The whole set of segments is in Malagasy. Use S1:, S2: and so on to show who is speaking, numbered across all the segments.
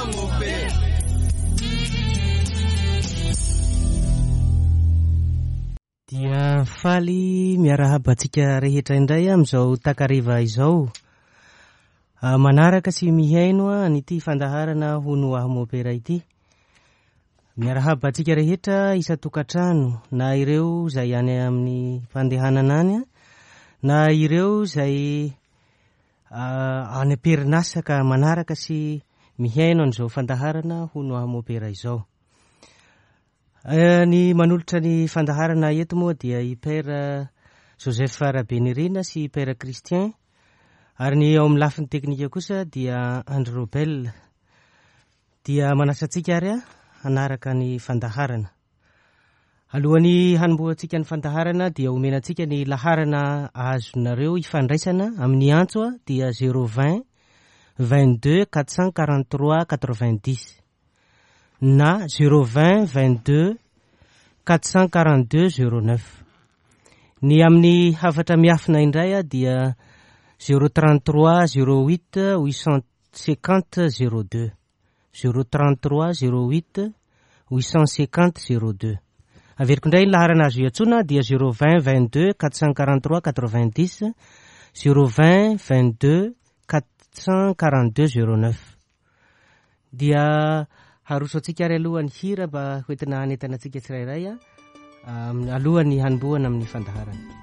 S1: aho mopera.
S2: Dia faly miarahaba antsika rehetra indray amin'izao takariva izao. Manaraka sy mihaino an'ity fandaharana Hono Aho Mopera ity. Miarahaba antsika rehetra isan-tokantrano, na ireo izay any amin'ny fandehanana any, na ireo izay any am-perinasa ka manaraka sy mihaino an'izao fandaharana Hono Aho Mopera izao. Ny manolotra ny fandaharana eto moa dia i Père Joseph Rabenirina sy i Père Christian, ary ny ao amin'ny lafiny teknika kosa dia Andry Robel. Dia manasa antsika ary hanaraka ny fandaharana. Alohan'ny hanombohantsika ny fandaharana dia omena antsika ny laharana azonareo ifandraisana amin'ny antso dia zéro vingt 22 443 90. na zéro vingt 22 442 09. Ny amin'ny hafatra miafina indray dia zéro 33 08 850 02. Zéro 33 08 850 02. Averiko indray ny laharana azo iantsoana dia zéro vingt 22 443 90, zéro vingt 22 442 09. Dia haroso antsika ary aloha ny hira mba hoentina hanentana antsika tsirairay alohan'ny hanombohana amin'ny fandaharana.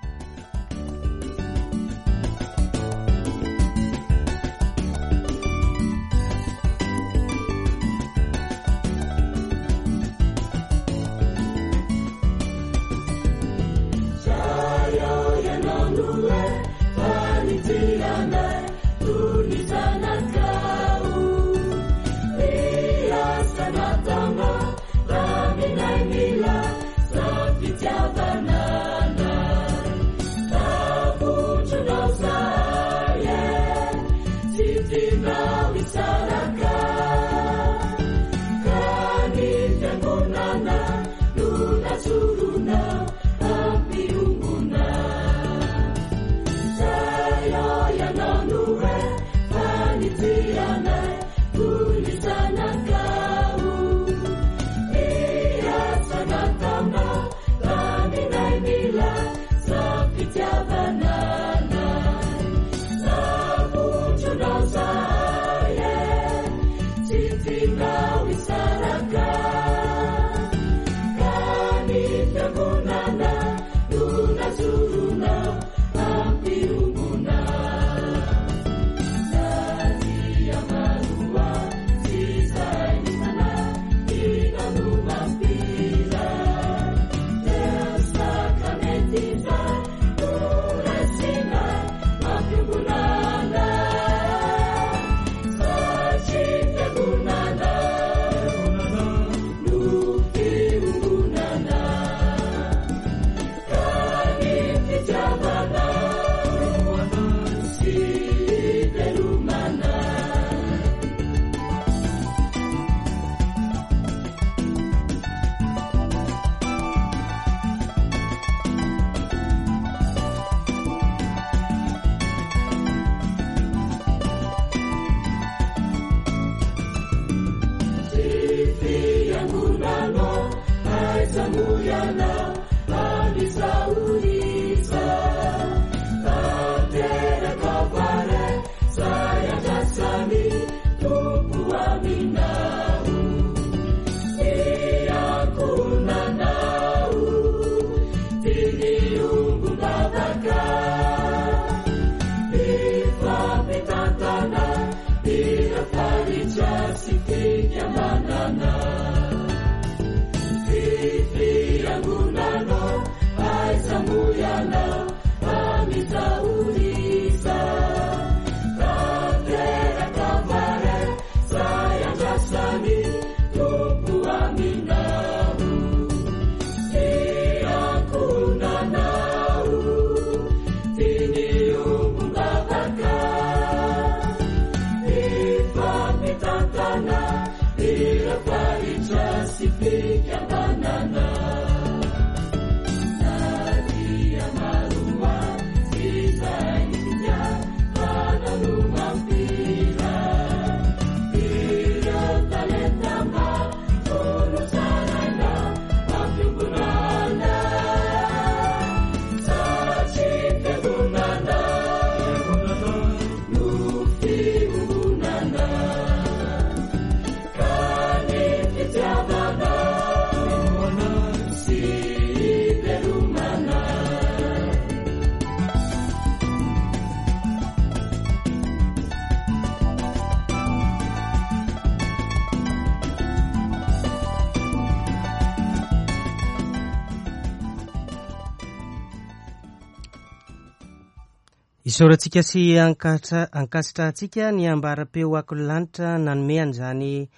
S2: Isaorantsika sy ankasitrahantsika ny ambaram-peo Akon'ny Lanitra nanome an'izany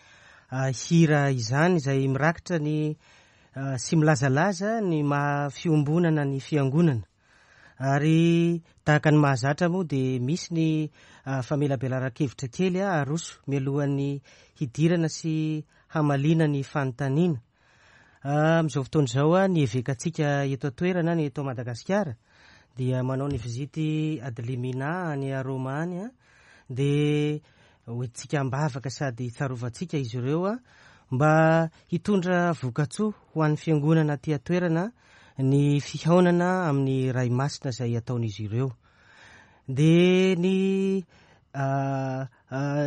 S2: hira izany izay mirakitra ny sy milazalaza ny maha fiombonana ny fiangonana. Ary tahaka ny mahazatra moa dia misy ny famelabelaran-kevitra kely aroso mialohan'ny hidirana sy hamaliana ny fanontaniana. Amin'izao fotoana izao, ny evekantsika eto an-toerana, ny eto Madagasikara, dia manao ny vizity ad limina any Roma any, dia hoentintsika am-bavaka sady tsarovantsika izy ireo mba hitondra vokatsoa ho an'ny fiangonana aty an-toerana ny fihaonana amin'ny Ray Masina izay ataon'izy ireo. Dia ny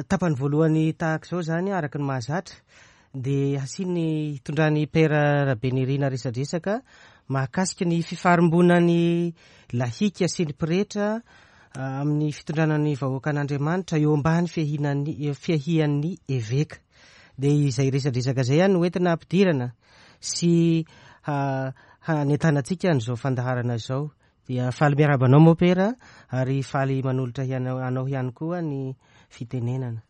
S2: tapany voalohany tahaka izao izany, araka ny mahazatra, dia hasiany hitondran'i Père Rabenirina resadresaka mahakasika ny fifarimbonan'ny lahika sy ny pretra amin'ny fitondrana ny vahoakan'Andriamanitra eo ambany fiahian'ny fiahian'ny eveka. Dia izay resadresaka izay no entina hampidirana sy hanentanantsika an'izao fandaharana izao. Dia faly miarahaba anao Mopera ary faly manolotra anao ihany koa ny fitenenana.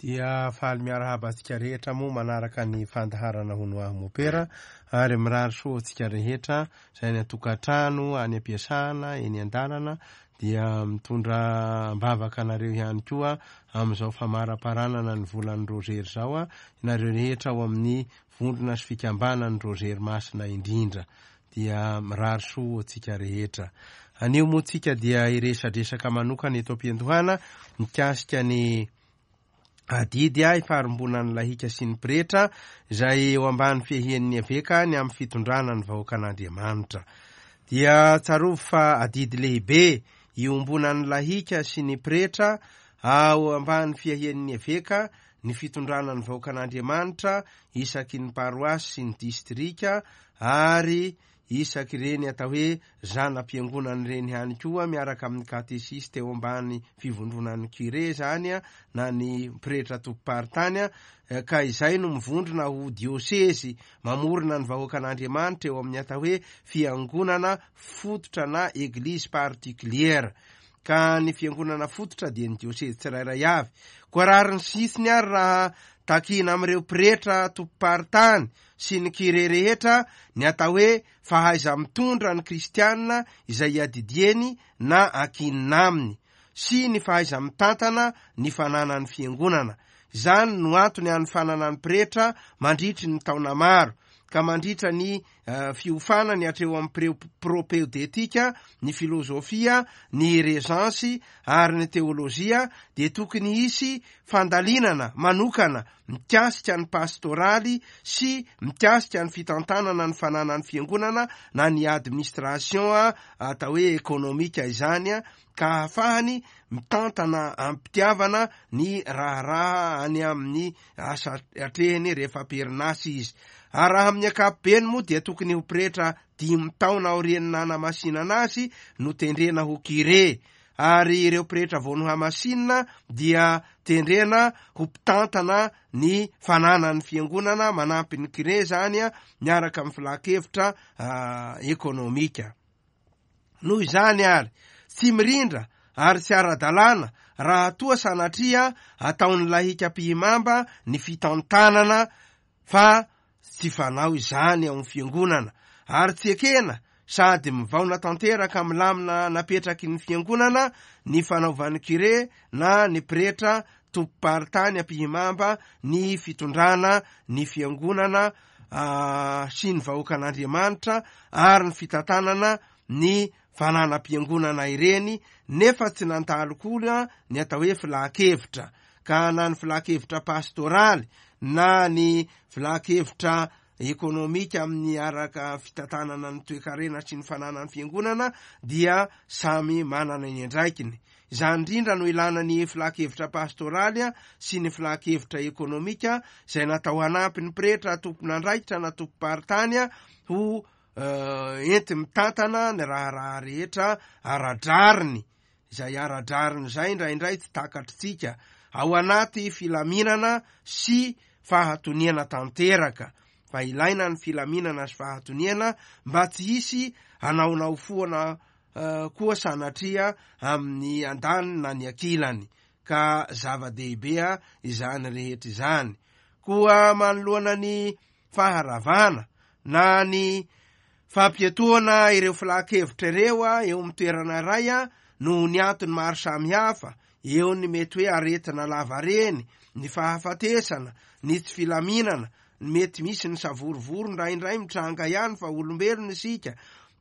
S1: Dia faly miarahaba antsika rehetra moa manaraka ny fandaharana Hono Aho Mopera ary mirary soa antsika rehetra izay any an-tokantrano, any am-piasana, eny an-dalana dia mitondra am-bavaka anareo ihany koa amin'izao famaraparanana ny volan'ny Rozery izao ianareo rehetra ao amin'ny vondrona sy fikambanan'ny Rozery Masina indrindra. Dia mirary soa ho antsika rehetra. Anio moa tsika dia hiresadresaka manokana eto am-piandohana mikasika ny adidy ifarimbonan'ny lahika sy ny pretra izay eo ambany fiahian'ny eveka ny amin'ny fitondrana ny vahoakan'Andriamanitra. Dia tsarovy fa adidy lehibe iombonan'ny lahika sy ny pretra ao ambany fiahian'ny eveka ny fitondrana ny vahoakan'Andriamanitra isaky ny paroasy sy ny distrika ary isaky ireny atao hoe zana-piangonana ireny ihany koa miaraka amin'ny katesista eo ambany fivondronan'ny curé izany na ny pretra tompom-paritany ka izay no mivondrona ho diosezy mamorona ny vahoakan'Andriamanitra eo amin'ny atao hoe fiangonana fototra na eglise particulière ka ny fiangonana fototra dia ny diosezy tsirairay avy. Koa rariny sy hitsiny ary raha takiana amin'ireo pretra tompom-paritany sy ny kire rehetra ny atao hoe fahaiza-mitondra ny kristiana izay iadidieny na ankinina aminy, sy ny fahaiza-mitantana ny fananan'ny fiangonana. Izany no antony hanofanana ny pretra mandritry ny taona maro, ka mandritra ny fiofanany hatreo amin'ny propeodetika, ny filozofia, ny rezansy ary ny teolojia dia tokony hisy fandalinana manokana mikasika ny pastoraly sy mikasika ny fitantanana ny fananan'ny fiangonana na ny administration atao hoe ekonomika izany ka ahafahany mitantana am-pitiavana ny raharaha any amin'ny asa atrehiny rehefa am-perinasa izy. Ary raha amin'ny ankapobeny moa dia tokony ho pretra dimy taona aorian'ny nanamasinana azy no tendrena ho curé, ary ireo pretra vao nohamasinina dia tendrena ho mpitantana ny fananan'ny fiangonana manampy ny curé izany miaraka amin'ny filan-kevitra ekonomika. Noho izany ary, tsy mirindra ary tsy ara-dalàna raha toa sanatria ataon'ny lahika mpihimamba ny fitantanana fa tsy fanao izany ao amin'ny fiangonana ary tsy ekena sady mivaona tanteraka amin'ny lamina napetraky ny fiangonana ny fanaovan'ny kire na ny pretra tompom-paritany ampihimamba ny fitondrana ny fiangonana sy ny vahoakan'Andriamanitra ary ny fitantanana ny fananam-piangonana ireny nefa tsy nandalo koa ny atao hoe filan-kevitra ka na ny filan-kevitra pastoraly na ny filan-kevitra ekonomika amin'ny araka fitantanana ny toekarena sy ny fananan'ny fiangonana dia samy manana ny andraikiny. Izany indrindra no ilana ny filan-kevitra pastoraly sy ny filan-kevitra ekonomika izay natao hanampy ny pretra tompon'andraikitra na tompom-paritany ho enti-mitantana ny raharaha rehetra ara-drariny, izay ara-drariny izay indraindray tsy takatritsika, ao anaty filaminana sy fahatoniana tanteraka, fa ilaina ny filaminana sy fahatoniana mba tsy hisy hanaonao foana. koa sanatria amin'ny andaniny na ny ankilany, ka zava-dehibe izany rehetra izany. Koa manoloana ny faharavana na ny fampiatoana ireo filan-kevitra ireo eo amin'ny toerana iray noho ny antony maro samihafa, eo ny mety hoe aretina lavareny, ny fahafatesana, ny tsy filaminana, ny mety misy ny savorovoro indraindray mitranga ihany fa olombelona isika,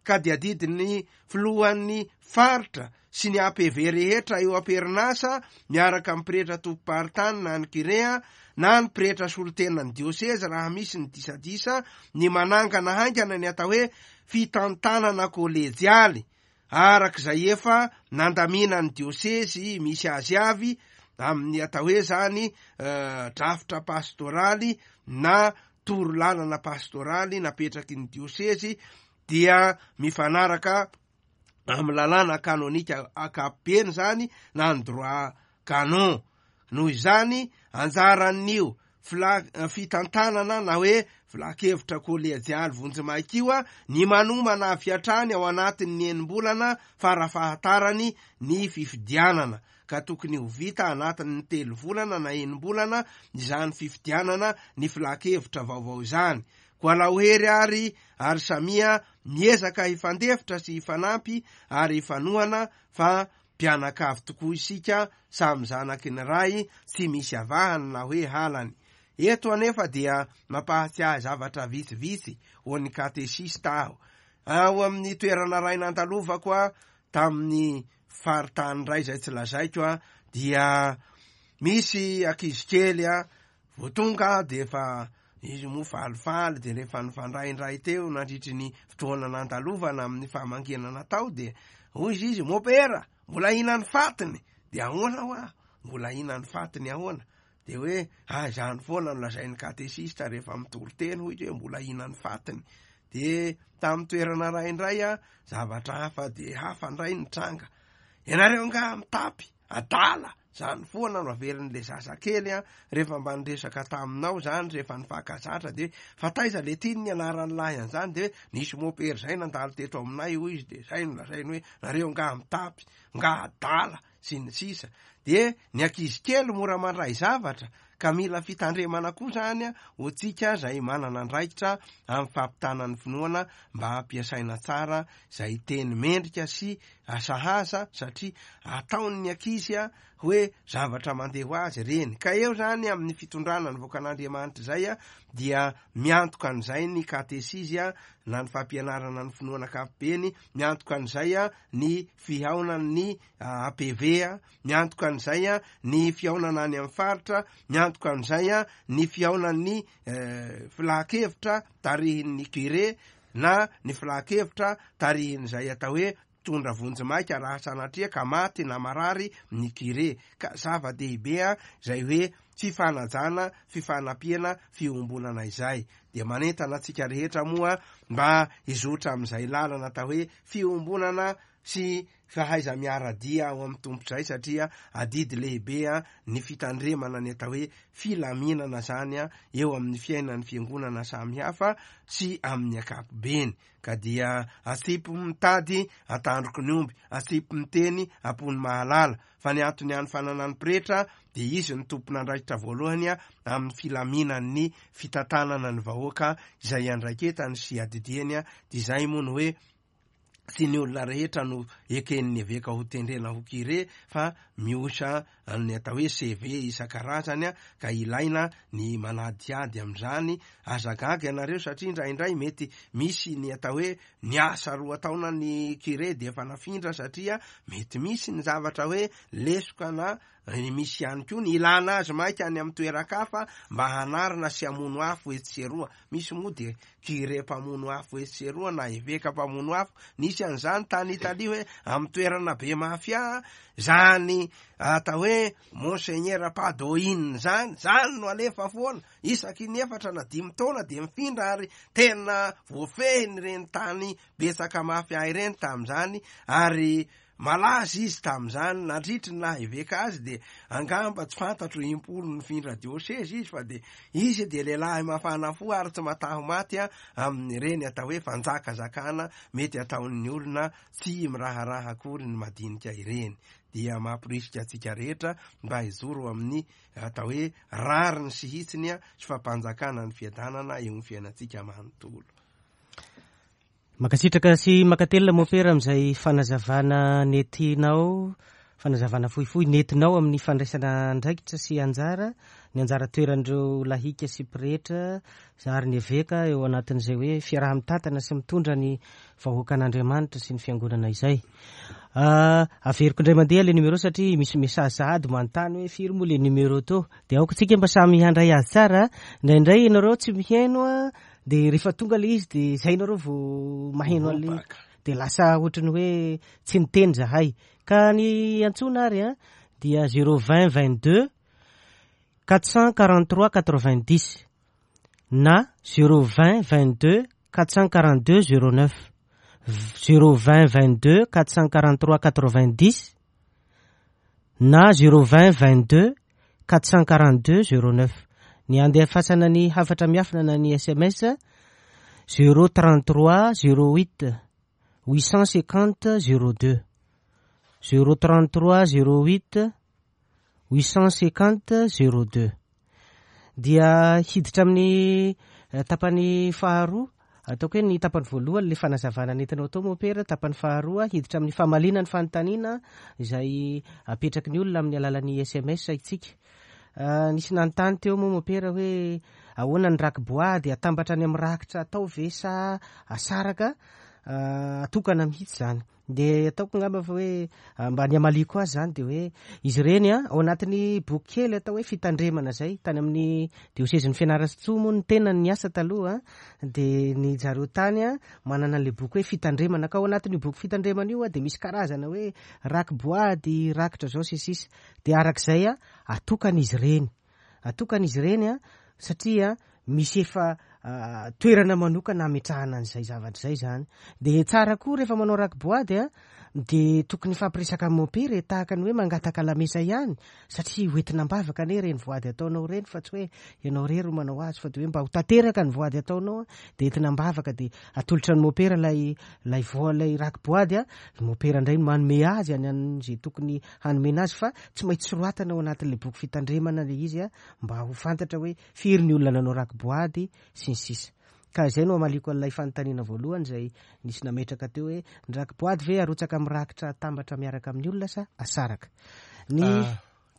S1: ka dia adidin'ny filohan'ny faritra sy ny APV rehetra eo am-perinasa miaraka amin'ny pretra tompom-paritany na ny Kirea na ny pretra solontenan'ny diosezy raha misy ny disadisa ny manangana haingana ny atao hoe fitantanana kolejialy araka izay efa nandaminan'ny diosezy misy azy avy amin'ny atao hoe zany drafitra pastoraly na torolalana pastoraly napetraky ny diosezy dia mifanaraka amin'ny lalàna kanonika ankapobeny izany na ny droit canon. Noho izany, anjaran'io fitantanana na hoe filankevitra kolejialy vonjimaika io ny manomana avy hatrany ao anatin'ny enim-bolana farafahatarany ny fifidianana, ka tokony ho vita anatin'ny telo volana na enim-bolana izany fifidianana ny filankevitra vaovao izany. Koa alao hery ary ary samia miezaka hifandefitra sy hifanampy ary hifanohana fa mpianakavy tokoa isika, samy zanaky ny Ray, tsy misy avahany na hoe halany. Eto anefa dia mampahatsiahy zavatra vitsivitsy ho an'ny katesista aho. Ao amin'ny toerana iray nandalovako tamin'ny faritany iray izay tsy lazaiko dia misy ankizy kely Vao tonga aho dia efa izy moa falifaly dia rehefa nifandraindray teo nandritry ny fotoana nandalovana amin'ny famangiana natao dia hoy izy izy, Mopera, mbola hihinan'ny fatiny! Dia ahoana hoa? Mbola hihinan'ny fatiny ahoana? Dia hoe, ah, izany foana no lazain'ny katesista rehefa mitory teny, hoy izy hoe mbola hihinan'ny fatiny. Dia tamin'ny toerana iray indray, zavatra hafa dia hafa indray nitranga. Ianareo angaha mitapy? Adala! Zany foana no averin'le zaza kely an, rehefa mba niresaka taminao zany, rehefa nifankazatra de hoe fa taiza le ty ny anaran'ny lahy an'zany de hoe nisy mopera zay nandalo teto aminay hoy izy de zay no lazainy hoe nareo nga mitapy, nga adala, sy ny sisa De ny ankizy kely mora mandray zavatra ka mila fitandremana koa zany ho antsika zay manana andraikitra amin'ny fampitana ny finoana mba hampiasaina tsara izay teny mendrika sy sahaza satria ataon'ny ankizy hoe zavatra mandeha ho azy ireny. Ka eo izany amin'ny fitondrana ny vahoakan'Andriamanitra izay dia miantoka an'izay ny katesizy na ny fampianarana ny finoana ankapobeny, miantoka an'izay ny fihaonan'ny APV, miantoka an'izay ny fihaonana any amin'ny faritra, miantoka an'izay ny fihaonan'ny filankevitra tarihin'ny curé na ny filankevitra tarihin'izay atao hoe mpitondra vonjimaika raha sanatria ka maty na marary ny curé. Ka zava-dehibe izay hoe fifanajana, fifanampiana, fiombonana izay. Dia manentana antsika rehetra moa mba hizotra amin'izay lalana atao hoe fiombonana sy fahaiza-miara-dia ao amin'ny Tompo izay satria adidy lehibe ny fitandremana ny atao hoe filaminana izany eo amin'ny fiainan'ny fiangonana samihafa sy amin'ny ankapobeny. Ka dia atsipy mitady antandroky ny omby, atsipy miteny am-pony mahalala, fa ny antony hanofanana ny pretra dia izy no tompon'andraikitra voalohany amin'ny filaminan'ny fitantanana ny vahoaka izay iandraiketany sy iadidiany, dia izay moa no hoe tsy ny olona rehetra no eken'ny eveka ho tendrena ho curé fa mihosa ny atao hoe CV isan-karazany ka ilaina ny manadihady amin'izany. Aza gaga ianareo satria indraindray mety misy ny atao hoe niasa roa taona ny curé dia efa nafindra satria mety misy ny zavatra hoe lesoka na misy ihany koa ny ilana azy maika any amin'ny toeran-kafa mba hanarina sy hamono afo etsy sy eroa. Misy moa dia curé mpamono afo etsy sy eroa na eveka mpamono afo. Nisy an'izany tany Italia hoe amin'ny toerana be mafia zany atao hoe Monseigneur Padoin zany, zany no alefa foana. Isaky ny efatra na dimy taona dia mifindra ary tena voafehiny ireny tany betsaka mafia ireny tamin'izany ary. Malaza izy tamin'izany, nandritry ny naha eveka azy dia angamba tsy fantatro impolo nifindra diosezy izy fa dia izy dia lehilahy mafana fo ary tsy mataho maty amin'ireny atao hoe fanjakazakana mety ataon'ny olona tsy miraharaha akory ny madinika ireny. Dia mamporisika antsika rehetra mba hijoro amin'ny atao hoe rariny sy hitsiny sy fampanjakana ny fiadanana eo amin'ny fiainantsika manontolo.
S2: Mankasitraka sy mankatelina Mopera amin'izay fanazavana nentinao, fanazavana fohifohy nentinao amin'ny fandraisana andraikitra sy anjara, ny anjara toeran'ireo lahika sy pretra ary ny eveka eo anatin'izay hoe fiaraha-mitantana sy mitondra ny vahoakan'Andriamanitra sy ny fiangonana izay. Ah, averiko indray mandeha le numéro satria misy message sahady manontany hoe firy moa le numéro teo. Dia aoka tsika mba samy handray azy tsara. Indraindray ianareo tsy mihaino a. De rehefa tonga le izy de zay nareo vao maheno an'le
S1: Mipaka.
S2: de lasa ohatran'ny hoe tsy niteny zahay. Ka ny antsoina ary a dia zéro vingt 22 443 90 na zéro vingt 22 442 09 zéro vingt 22 443 90 na zéro vingt 22 442 09. Ny andefasana ny hafatra miafina na ny sms zéro 33 08 850 02 zéro 33 08 850 02. Dia hiditra amin'ny tapany faharoa, ataoko hoe ny tapany voalohany le fanazavana nentinao tao Mopera, tapany faharoa hiditra amin'ny famaliana ny fanontaniana izay apetraky ny olona amin'ny alalan'ny sms isika. Nisy nanontany teo moa Mopera hoe ahoana ny raki-boady, atambatra any amin'ny rakitra atao ve sa asaraka, atokana mihitsy izany. Dia ataoko angamba fa hoe mba ny hamaliako azy izany dia hoe izy ireny a, ao anatin'ny boky kely atao hoe fitandremana izay, tany amin'ny diosezin'ny Fianarantsoa moa ny tenany niasa taloha, dia ny zareo tany a, manana an'ilay boky hoe fitandremana, ka ao anatin'io boky fitandremana io a, dia misy karazana hoe raki-boady, rakitra izao sy ny sisa, dia arak'izay a, atokana izy ireny. Atokana izy ireny a, satria misy efa toerana manokana hametrahana an'izay zavatra izay izany. Dia tsara koa rehefa manao raki-boady a, dia tokony hifampiresaka amin'ny mompera e, tahaka ny hoe mangataka lamesa ihany, satria hoentina am-bavaka anie ireny voady ataonao ireny fa tsy hoe ianao irery no manao azy, fa dia hoe mba ho tanteraka ny voady ataonao a, dia entina am-bavaka, dia atolotra ny mompera ilay, ilay voa, ilay raki-boady a, ny mompera indray no manome azy any amin'izay tokony hanomena azy fa tsy maintsy soratana ao anatin'ilay boky fitandremana ilay izy mba ho fantatra hoe firy ny olona nanao raki-boady sy ny sisa. Ka izay no hamaliako an'ilay fanontaniana voalohany izay nisy nametraka teo hoe ny raki-boady ve arotsaka amin'ny rakitra atambatra miaraka amin'ny olona sa asaraka? Ny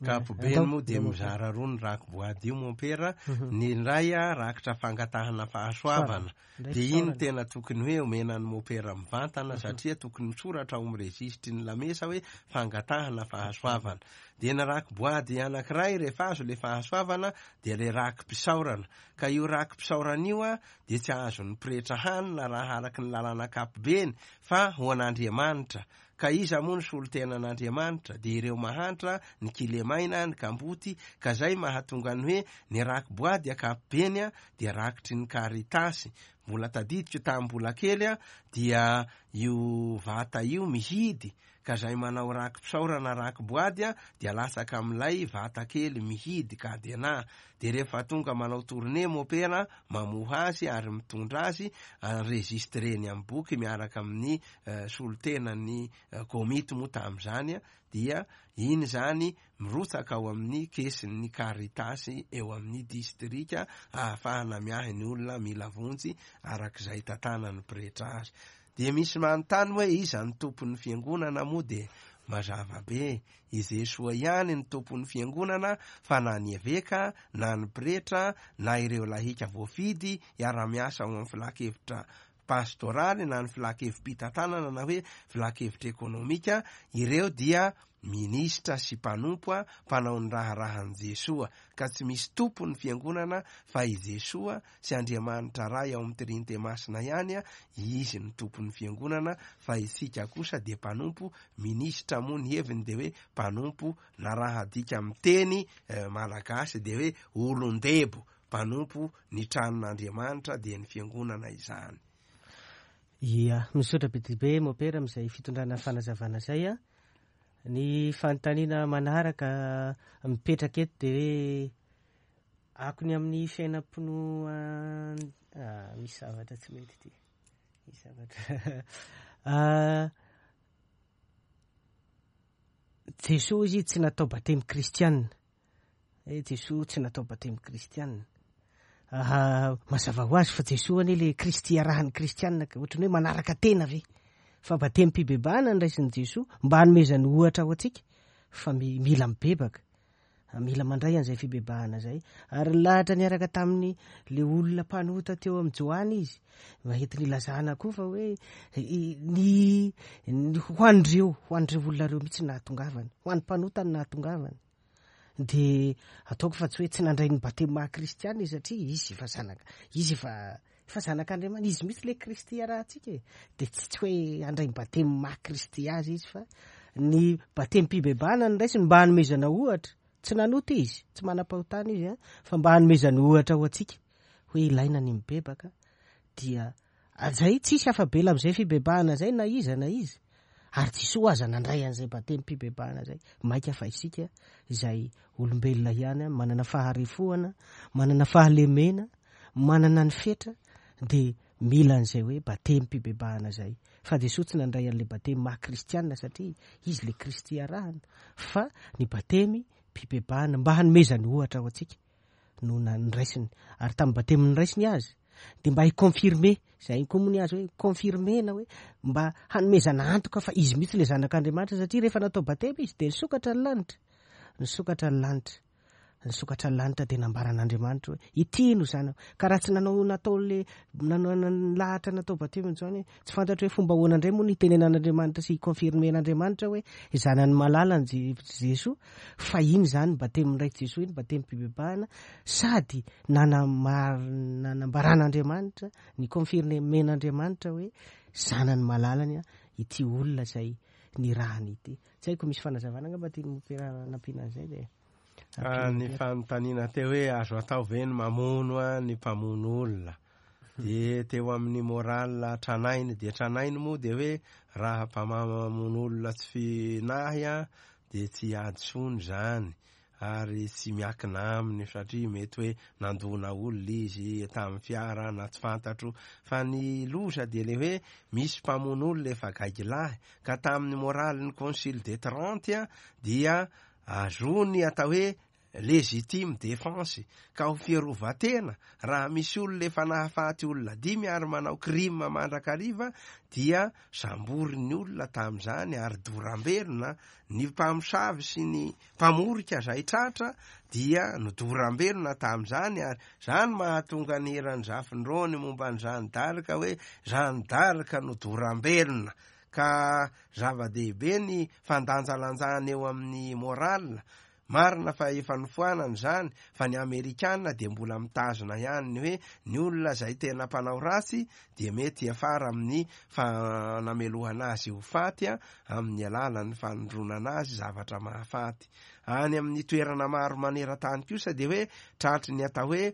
S1: Ankapobeny moa dia mizara roa ny raki-boady io mompera, ny iray rakitra fangatahana fahasoavana, dia iny tena tokony hoe omena ny mopera mivantana satria tokony misoratra ao amin'ny rejistry ny lamesa hoe fangatahana fahasoavana. Dia ny raki-boady anankiray rehefa azo ilay fahasoavana dia ilay raki-pisaorana. Ka io raki-pisaorana io dia tsy azon'ny pretra hanina raha araka ny lalàna ankapobeny fa ho an'Andriamanitra. Ka iza moa no solontenan'Andriamanitra? Dia ireo mahantra, ny kilemaina, ny kamboty, ka zay mahatonga ny hoe ny raki-boady ankapobeny dia rakitry ny Caritas. Mbola tadidiko tamin'ny mbola kely dia io vata io mihidy, ka zay manao raki-pisaorana raki-boady dia latsaka amin'ilay vata kely mihidy cadenas. Dia rehefa tonga manao tournée mopera mamoha azy ary mitondra azy, enregistreny amin'ny boky miaraka amin'ny solontenan'ny komity moa tamin'izany dia iny izany mirotsaka ao amin'ny kesin'ny Caritas eo amin'ny distrika ahafahana miahy ny olona mila vonjy arak'izay tantanan'ny pretra azy. Dia misy manontany hoe iza ny tompon'ny fiangonana moa dia mazava be, i Jesoa ihany ny tompon'ny fiangonana fa na ny eveka na ny pretra na ireo lahika voafidy hiara-miasa ao amin'ny filan-kevitra pastoraly na ny filan-kevi-pitantanana na hoe filan-kevitra ekonomika, ireo dia minisitra sy mpanompo mpanao ny raharahan'i Jesoa, ka tsy misy tompo ny fiangonana fa i Jesoa sy Andriamanitra Ray ao amin'ny Trinite Masina ihany, Izy no tompon'ny fiangonana fa isika kosa dia mpanompo, minisitra moa ny heviny dia hoe mpanompo na raha adika amin'ny teny malagasy dia hoe olon-debo, Mpanompo ny tranon'Andriamanitra dia ny fiangonana izany.
S2: Ia, misaotra be dia be Mopera amin'izay fitondrana fanazavana izay a. Ny fanontaniana manaraka mipetraka eto dia hoe akony amin'ny fiainam-pinoan-, ah, misy zavatra tsy mety ity. Misy zavatra. Ah, Jesoa izy tsy natao batemy kristianina. Eh, Jesoa tsy natao batemy kristianina. Ah, mazava ho azy fa Jesoa anie le Kristy arahan'ny kristianina ka ohatran'ny hoe manaraka tena ve? Fa batemim-pibebahana ny raisin'i Jesoa mba hanomezany ohatra ho antsika fa mila mibebaka. Mila mandray an'izay fibebahana izay. Ary nilahatra niaraka tamin'ny le olona mpanota teo amin'i Joany izy. Mba entiny ilazana koa fa hoe ny, ny ho an'ireo, ho an'ireo olona ireo mihitsy nahatongavany. Ho an'ny mpanota no nahatongavany. Dia ataoko fa tsy hoe tsy nandray ny batemy maha kristiana izy satria izy efa zanaka, izy efa efa zanak'Andriamanitra, izy mihitsy le Kristy iarahantsika e. Dia tsy tsy hoe handray ny batemy maha Kristy azy izy fa ny batemim-pibebahana no raisiny mba hanomezana ohatra. Tsy nanota izy, tsy manam-pahotana izy an, fa mba hanomezany ohatra ho antsika hoe ilaina ny mibebaka dia Zay tsisy afa-bela amin'izay fibebahana zay na iza na iza. Ary Jesoa aza nandray an'izay batemim-pibebahana zay. Maika fa isika izay olombelona ihany, manana faharefoana, manana fahalemena, manana ny fetra, dia mila an'izay hoe batemim-pibebahana zay. Fa Jesoa tsy nandray an'ilay batemy maha kristianina satria izy ilay Kristy arahana, fa ny batemy mpibebahana mba hanomezany ohatra ho antsika. no noraisiny ary tamin'ny batemy noraisiny azy dia mba hi-confirmer izay koa moa ny azy hoe confirmer-na hoe mba hanomezana antoka fa izy mihitsy ilay zanak'Andriamanitra satria rehefa natao batemy izy dia nisokatra ny lanitra nisokatra ny lanitra nisokatra ny lanitra dia nambaran'Andriamanitra hoe ity no zanako ka raha tsy nanao natao le nanao lahatra natao batemy izany Tsy fantatro hoe fomba ahoana indray moa no hitenenan'Andriamanitra sy hi-confirmer-n'Andriamanitra hoe zanany malala ny Jesoa, fa iny izany batemin'ny Ray Jesoa iny, batemim-pibebahana, sady nanambaran'Andriamanitra, ni-confirmer-n'Andriamanitra hoe zanany malalany ity olona izay nirahany ity. Tsy haiko misy fanazavana angamba tian'i Mompera hanampiana an'izay dia.
S1: Ah, ny fanontaniana teo hoe azo atao ve ny mamono ny mpamono olona? Dia teo amin'ny moral tranainy dia tranainy moa dia hoe raha mpamamono olona tsy finahy dia tsy hadisoany izany ary tsy miakina aminy satria mety hoe nandona olona izy tamin'ny fiara na tsy fantatro fa ny loza dia le hoe misy mpamono olona efa gaigilahy ka tamin'ny moralin'ny concile de Trente dia azony atao hoe Légitime défense, ka ho fiarovan-tena, raha misy olona efa nahafaty olona dimy ary manao crime mandrakariva dia samborin'ny olona tamin'izany ary doram-belona, ny mpamosavy sy ny mpamorika izay tratra dia nodoram-belona tamin'izany ary izany mahatonga ny hiran'i Zafindrony momba an'i Jeanne d'Arc hoe Jeanne d'Arc nodoram-belona ka zava-dehibe ny fandanjalanjana eo amin'ny morale Marina fa efa nofoanana izany fa ny Amerikana dia mbola mitazona ihany ny hoe ny olona izay tena mpanao ratsy dia mety hiafara amin'ny fanamelohana azy ho faty amin'ny alalan'ny fanondronana azy zavatra mahafaty. Any amin'ny toerana maro maneran-tany kosa dia hoe tratry ny atao hoe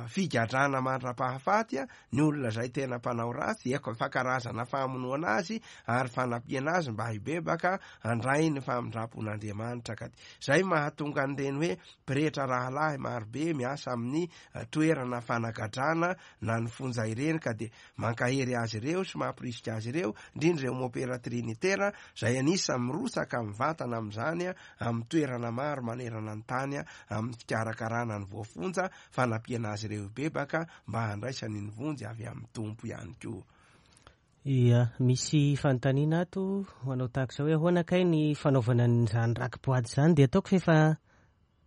S1: figadrana mandra-pahafaty ny olona izay tena mpanao ratsy, efa karazana famonoana azy ary fanampiana azy mba hibebaka handray ny famindram-pon'Andriamanitra. Ka izay mahatonga an'ireny hoe pretra rahalahy marobe miasa amin'ny toerana fanagadrana na ny fonja ireny ka dia mankahery azy ireo sy mampirisika azy ireo, indrindra ireo mopera trinitera izay anisan'ny mirotsaka mivantana amin'izany amin'ny toerana maro manerana ny tany amin'ny fikarakarana ny voafonja, fanampiana azy ireo hibebaka mba handraisany ny vonjy avy amin'ny Tompo ihany koa.
S2: Ia, misy fanontaniana ato manao tahaka izao hoe ahoana kay ny fanaovana an'izany raki-boady izany dia ataoko fa efa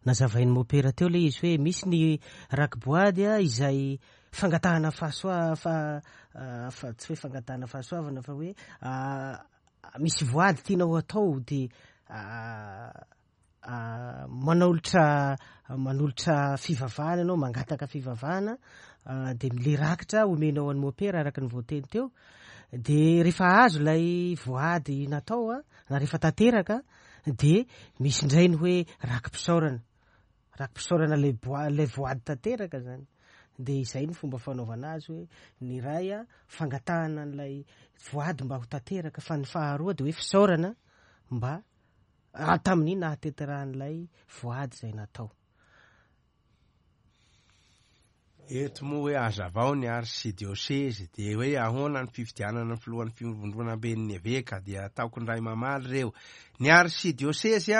S2: nazavain'i Mopera teo ilay izy hoe misy ny raki-boady izay fangatahana fahasoa fa fa tsy hoe fangatahana fahasoavana fa hoe misy voady tianao atao dia manolotra manolotra fivavahana ianao, mangataka fivavahana dia le rakitra omenao an'i mopera araka ny voateny teo dia rehefa azo ilay voady natao a na rehefa tanteraka dia misy indray ny hoe raki-pisaorana Raki-pisaorana ilay boa- ilay voady tanteraka zany. Dia izay no fomba fanaovana azy hoe ny iray a, fangatahana an'ilay voady mba ho tanteraka, fa ny faharoa dia hoe fisaorana mba. tamin'ny nahatanterahan'ilay voady izay natao.
S1: Eto moa hoe hazavao ny arsidiosezy, dia hoe ahoana ny fifidianana ny filohan'ny fivondronamben'ny eveka, dia ataoko indray mamaly ireo. Ny arsidiosezy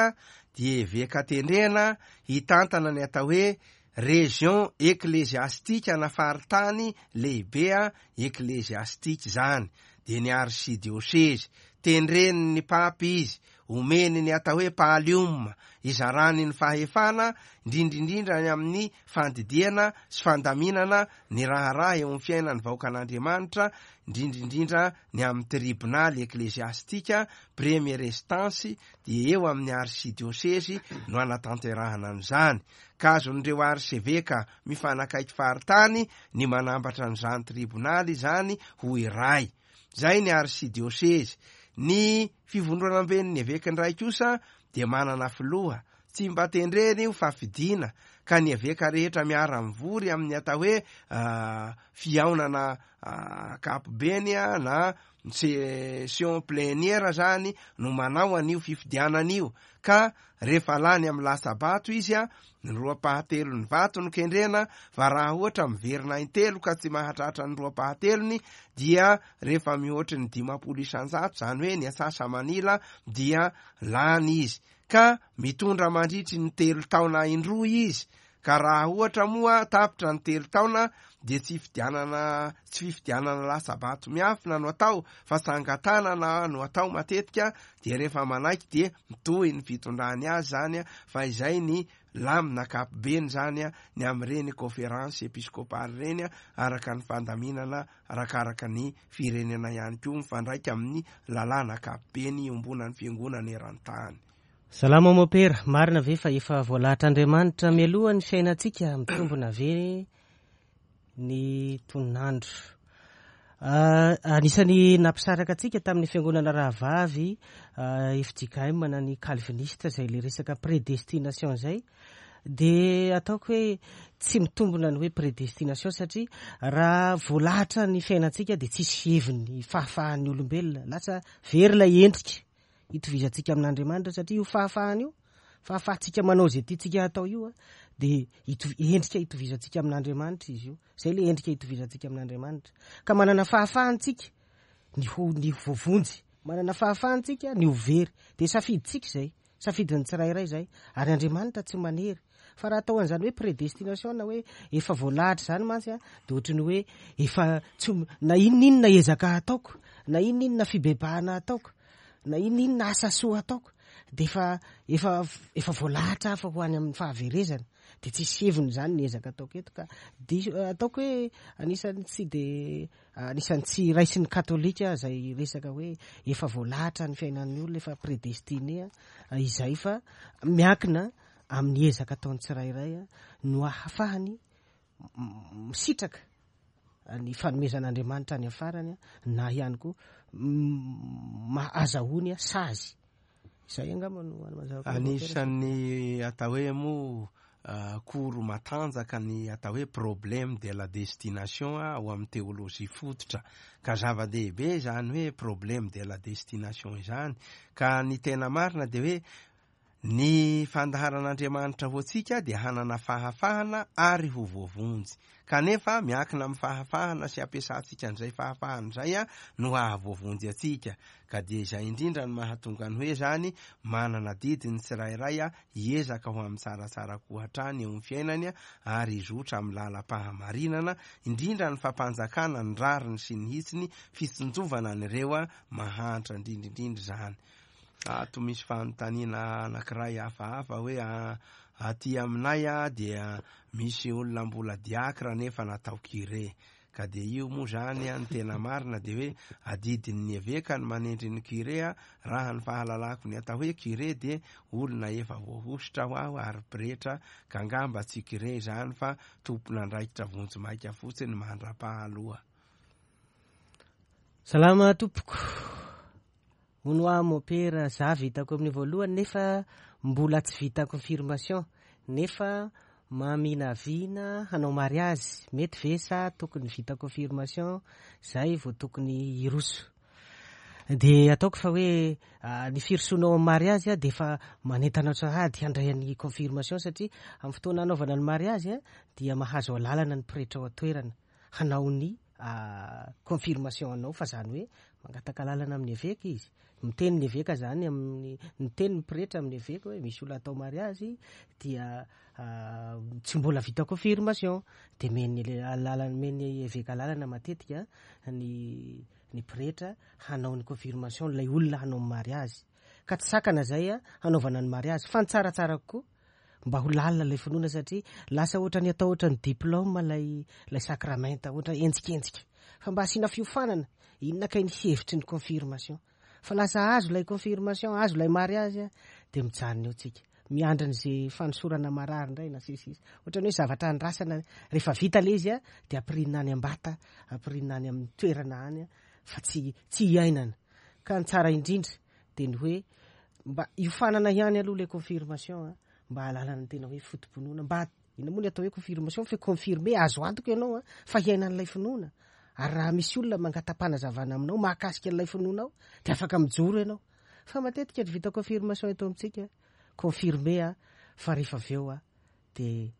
S1: dia eveka tendrena hitantana ny atao hoe région ecclésiastique na faritany lehibe ecclésiastique izany, dia ny arsidiosezy. Tendren'ny Papa izy, omeny ny atao hoe pallium, izarany ny fahefana, indrindra indrindra ny amin'ny fandidiana sy fandaminana ny raharaha eo amin'ny fiainan'ny vahoakan'Andriamanitra, indrindra indrindra ny amin'ny tribonaly ekleziastika, première instance, dia eo amin'ny arsidiosezy no anatanterahana an'izany. Ka azon'ireo arseveka mifanakaiky faritany ny manambatra an'izany tribonaly izany ho iray. Izay ny arsidiosezy. Ny fivondronamben'ny eveka indray kosa dia manana filoha. Tsy mba tendrena io fa fidiana, ka ny eveka rehetra miara-mivory amin'ny atao hoe fihaonana ankapobeny na session plénière zany no manao an'io fifidianana io, ka rehefa lany amin'ny latsa-bato izy, ny roa-pahatelon'ny vato no kendrena, fa raha ohatra miverina intelo ka tsy mahatratra ny roa-pahatelony dia rehefa mihoatry ny 50%, izany hoe ny atsasa-manila, dia lany izy, ka mitondra mandritry ny 3 taona indroa izy. Ka raha ohatra moa tapitra ny 3 taona dia tsy fifidianana, tsy fifidianana latsa-bato miafina no atao fa tsangan-tanana no atao matetika, dia rehefa manaiky dia mitohy ny fitondrany azy zany, fa izay ny lamina ankapobeny zany ny amin'ireny conférence épiscopale ireny, araka ny fandaminana arakaraka ny firenena ihany koa mifandraika amin'ny lalàna ankapobeny iombonan'ny fiangonana eran-tany.
S2: Salama Mopera, marina ve fa efa voalahatr'Andriamanitra mialoha ny fiainantsika, mitombina ve ny tononandro? Anisan'ny nampisaraka antsika tamin'ny fiangonana rahavavy FJKM na ny Calviniste izay le resaka prédestination izay, dia ataoko hoe tsy mitombina ny hoe prédestination satria raha voalahatra ny fiainantsika dia tsisy heviny fahafahan'ny olombelona, lasa very ilay endrika hitovizantsika amin'Andriamanitra satria io fahafahana io, fahafahantsika manao izay tiantsika hatao io, dia endrika hitovizantsika amin'Andriamanitra izy io. Izay ilay endrika hitovizantsika amin'Andriamanitra. Ka manana fahafahantsika ny ho, ny ho voavonjy, manana fahafahantsika ny ho very. Dia safidintsika izay, safidin'ny tsirairay izay. Ary Andriamanitra tsy manery. Fa raha atao an'izany hoe prédestination na hoe efa voalahatra izany mantsy, dia ohatry ny hoe efa tsy, na inona inona ezaka ataoko, na inona inona fibebahana ataoko, na inona inona asa soa ataoko, dia efa, efa, efa voalahatra aho fa ho any amin'ny fahaverezana. Dia tsisy heviny izany ny ezaka ataoko eto. Ka diso, ataoko hoe anisan'ny tsy dia, anisan'ny tsy raisin'ny katolika izay resaka hoe efa voalahatra ny fiainan'ny olona, efa prédestiné izay, fa miankina amin'ny ezaka ataon'ny tsirairay no ahafahany misitraka ny fanomezan'Andriamanitra any afarany, na ihany koa azahoany sazy. Izay angamba no mazava kokoa.
S1: Anisan'ny atao hoe moa koro matanjaka ny atao hoe problème de la destination ao amin'ny teolojia fototra. Ka zava-dehibe izany hoe problème de la destination izany. Ka ny tena marina dia hoe ny fandaharan'Andriamanitra ho antsika dia hanana fahafahana ary ho voavonjy. Kanefa miankina amin'ny fahafahana sy ampiasantsika an'izay fahafahana izay no hahavoavonjy antsika. Ka dia izay indrindra no mahatonga ny hoe izany manana adidy ny tsirairay hiezaka ho amin'ny tsaratsara koa hatrany eo amin'ny fiainany ary hizotra amin'ny lalam-pahamarinana, indrindra ny fampanjakana ny rariny sy ny hitsiny, fitsinjovana an'ireo mahantra indrindra indrindra izany. Ato misy fanontaniana anankiray hafahafa hoe aty aminay dia misy olona mbola diakra nefa natao curé. Ka dia io moa zany ny tena marina dia hoe adidin'ny eveka ny manendry ny curé. Raha ny fahalalako ny atao hoe curé dia olona efa voahosotra ho aho ary pretra, ka angamba tsy curé izany fa tompon'andraikitra vonjimaika fotsiny mandra-pahaloha.
S2: Salama tompoko. Hono aho mopera, za vitako amin'ny voalohany nefa mbola tsy vita confirmation, nefa maminavina hanao mariazy, mety ve sa tokony vita confirmation zay vao tokony hiroso? Dia ataoko fa hoe ny firosoana ao amin'ny mariazy dia efa manentana sahady handray ny confirmation, satria amin'ny fotoana hanaovana ny mariazy dia mahazo alalana ny pretra ao an-toerana hanao ny confirmation anao, fa zany hoe mangataka alalana amin'ny eveka izy. Miteny ny eveka zany amin'ny, miteny ny pretra amin'ny eveka hoe misy olona atao mariazy dia tsy mbola vita confirmation, dia meny alalana, meny eveka alalana matetika ny pretra hanao ny confirmation ilay olona hanao ny mariazy. Ka tsy sakana zay hanaovana ny mariazy, fa ny tsaratsara kokoa mba ho lalina ilay finoana, satria lasa ohatran'ny atao ohatran'ny diplôme ilay sakramenta, ohatra enjikenjika, fa mba asiana fiofanana inona kay ny hevitry ny confirmation. Fa lasa azo ilay confirmation, azo ilay mariazy, dia mijanona eo tsika miandry an'izay fanosorana marary indray na sisisy, ohatran'ny hoe zavatra andrasana. Rehefa vita ilay izy dia ampirinina any ambata, ampirinina any amin'ny toerana any, fa tsy iainana. Ka ny tsara indrindra dia ny hoe mba iofanana ihany aloha ilay confirmation, mba hahalalana ny tena hoe foto-pinoana. Mba inona moa ny atao hoe confirmation? Fa confirmer, azo antoka ianao fa hiainan'ilay finoana, ary raha misy olona mangata-panazavana aminao mahakasika an'ilay finoanao dia afaka mijoro ianao. Fa matetika ny vita confirmation eto amintsika, confirmer fa rehefa avy eo dia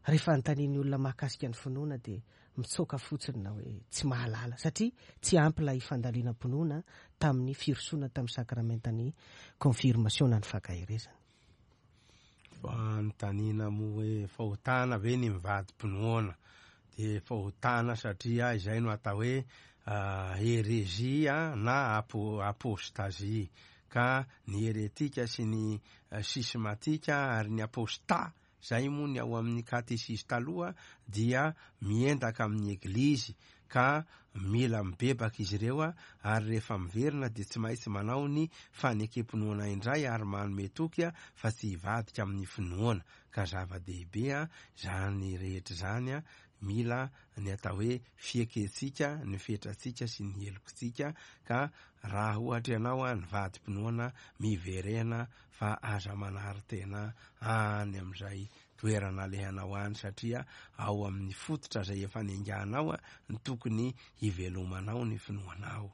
S2: rehefa anontanian'ny olona mahakasika ny finoana dia mitsoaka fotsiny na hoe tsy mahalala, satria tsy ampy ilay fandalinam-pinoana tamin'ny firosoana tamin'ny sakramentan'ny confirmation na ny fankaherezana.
S1: Fanontaniana moa hoe fahotana ve ny mivadi-pinoana? Dia fahotana satria izay no atao hoe hérésie na apostasie. Ka ny heretika sy ny schismatika ary ny apostat, zay moa ny ao amin'ny katesizy taloha, dia miendaka amin'ny eglizy, ka mila mibebaka izy ireo, ary rehefa miverina dia tsy maintsy manao ny fanekem-pinoana indray ary manome toky fa tsy hivadika amin'ny finoana. Ka zava-dehibe izany rehetra izany, mila ny atao hoe fiekentsika ny fetrantsika sy ny helokintsika. Ka raha ohatra ianao nivadi-pinoana, miverena fa aza manary tena any amin'izay toerana alehanao any, satria ao amin'ny fototra izay efa niainganao no tokony hivelomanao ny finoanao.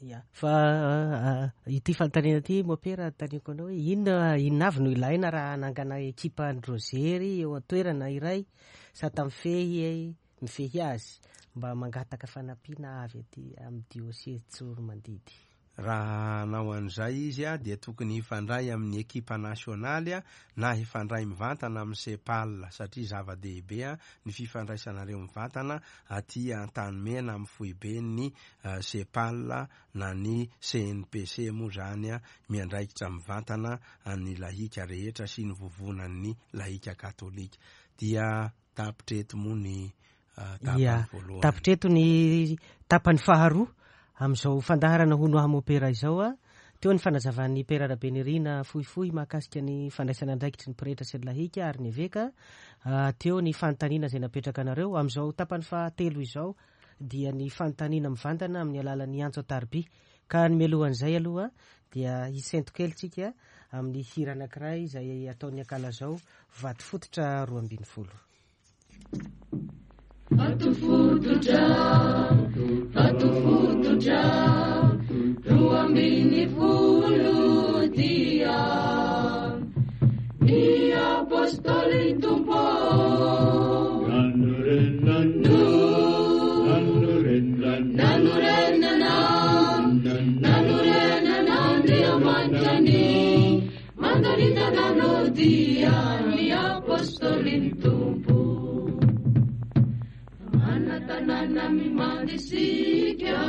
S2: Ya, fa ity fanontaniana ity mopera anontaniako anao hoe inona avy no ilaina raha hanangana ekipa an-dRozery eo an-toerana iray sady mifehy azy, mba mangataka fanampiana avy aty amin'ny diocèse Tsiroanomandidy.
S1: Raha hanao an'izay izy dia tokony hifandray amin'ny ekipa nasionaly na hifandray mivantana amin'ny Cepal, satria zava-dehibe ny fifandraisanareo mivantana aty Antanimena amin'ny foiben'ny Cepal na ny CNPC moa izany miandraikitra mivantana an'ny lahika rehetra sy ny vovonan'ny lahika katolika. Dia tapitra eto moa ny tapany voalohany.
S2: Tapitra eto ny tapany faharoa amin'izao fandaharana Hono Aho Mopera izao. Teo ny fanazavan'ny Père Rabenirina fohifohy mahakasika ny fandraisana andraikitry ny pretra sy ny lahika ary ny eveka. Teo ny fanontaniana izay napetraka anareo. Amin'izao tapany fahatelo izao dia ny fanontaniana mivantana amin'ny alalan'ny antso an-tariby. Ka ny mialohan'izay aloha dia hisento kely tsika amin'ny hira anankiray izay ataon'ny Ankalazao, Vatofototra 12.
S3: Vatofototra, vatofototra, 12 dia ny apôstôly Tompo. Nanorenana, nanorenana Andriamanitra ny mandaritana dia ny apôstôly Tompo. Mana tanàna mimandisika,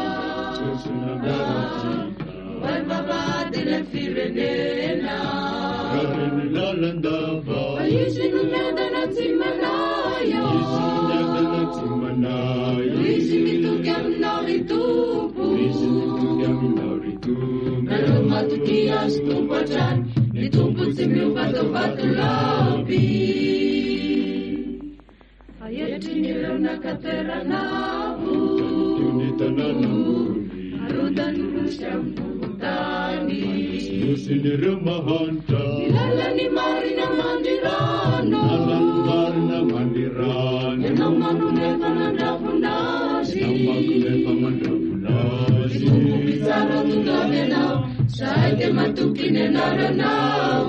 S3: vavahadin'ny firenena. Fa izy no miadana tsy manahy, izy mitoky aminao ry Tompo. Nareo matoky azy Tompo hatrany, ny Tompo tsy miova tao vatolampy. Fa etrin'ireo naka toerana avo, arodany nosy ambony.
S4: Nosin'ireo mahantra,
S3: Ny lalan'ny marina mandrirano,
S4: lalan'ny marina mandrirano.
S3: Ianao manome fanandravona azy,
S4: Ianao manome fanandravona azy.
S3: Ny Tompo mpitsara tonga. anaranao.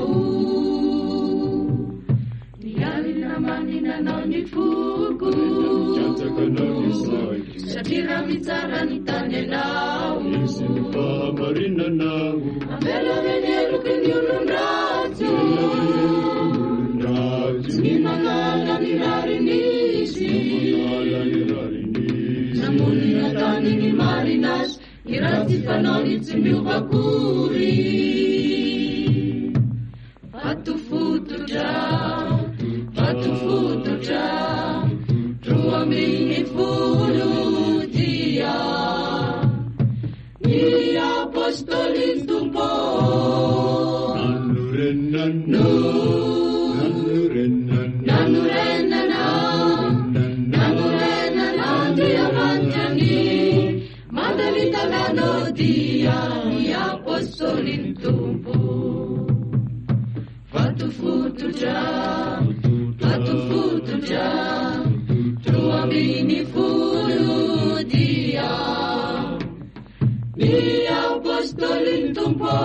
S3: Ny alina manina anao ny foko.
S4: Mikatsaka anao ny saiko.
S3: Satria raha mitsara ny tany ianao.
S4: Misy ny fahamarinanao.
S3: Ambela ve ny heloky ny olon-dratsy.
S4: Olon-dratsy.
S3: Tsy manala ny rariny izy.
S4: Manala ny rariny izy.
S3: Namono ny tany ny marina azy. Ny ratsy fanaony tsy miova akory. Vato fototra, vato fototra, 12 dia ny apôstôlin'ny Tompo.
S4: Nanorenana. Nanorenana.
S3: Nanorenana, nanorenana Andriamanitra ny mandany tanàna dia ny apôstôlin'ny Tompo. Vato fototra, vato fototra, 12 dia ny apôstôlin'ny Tompo.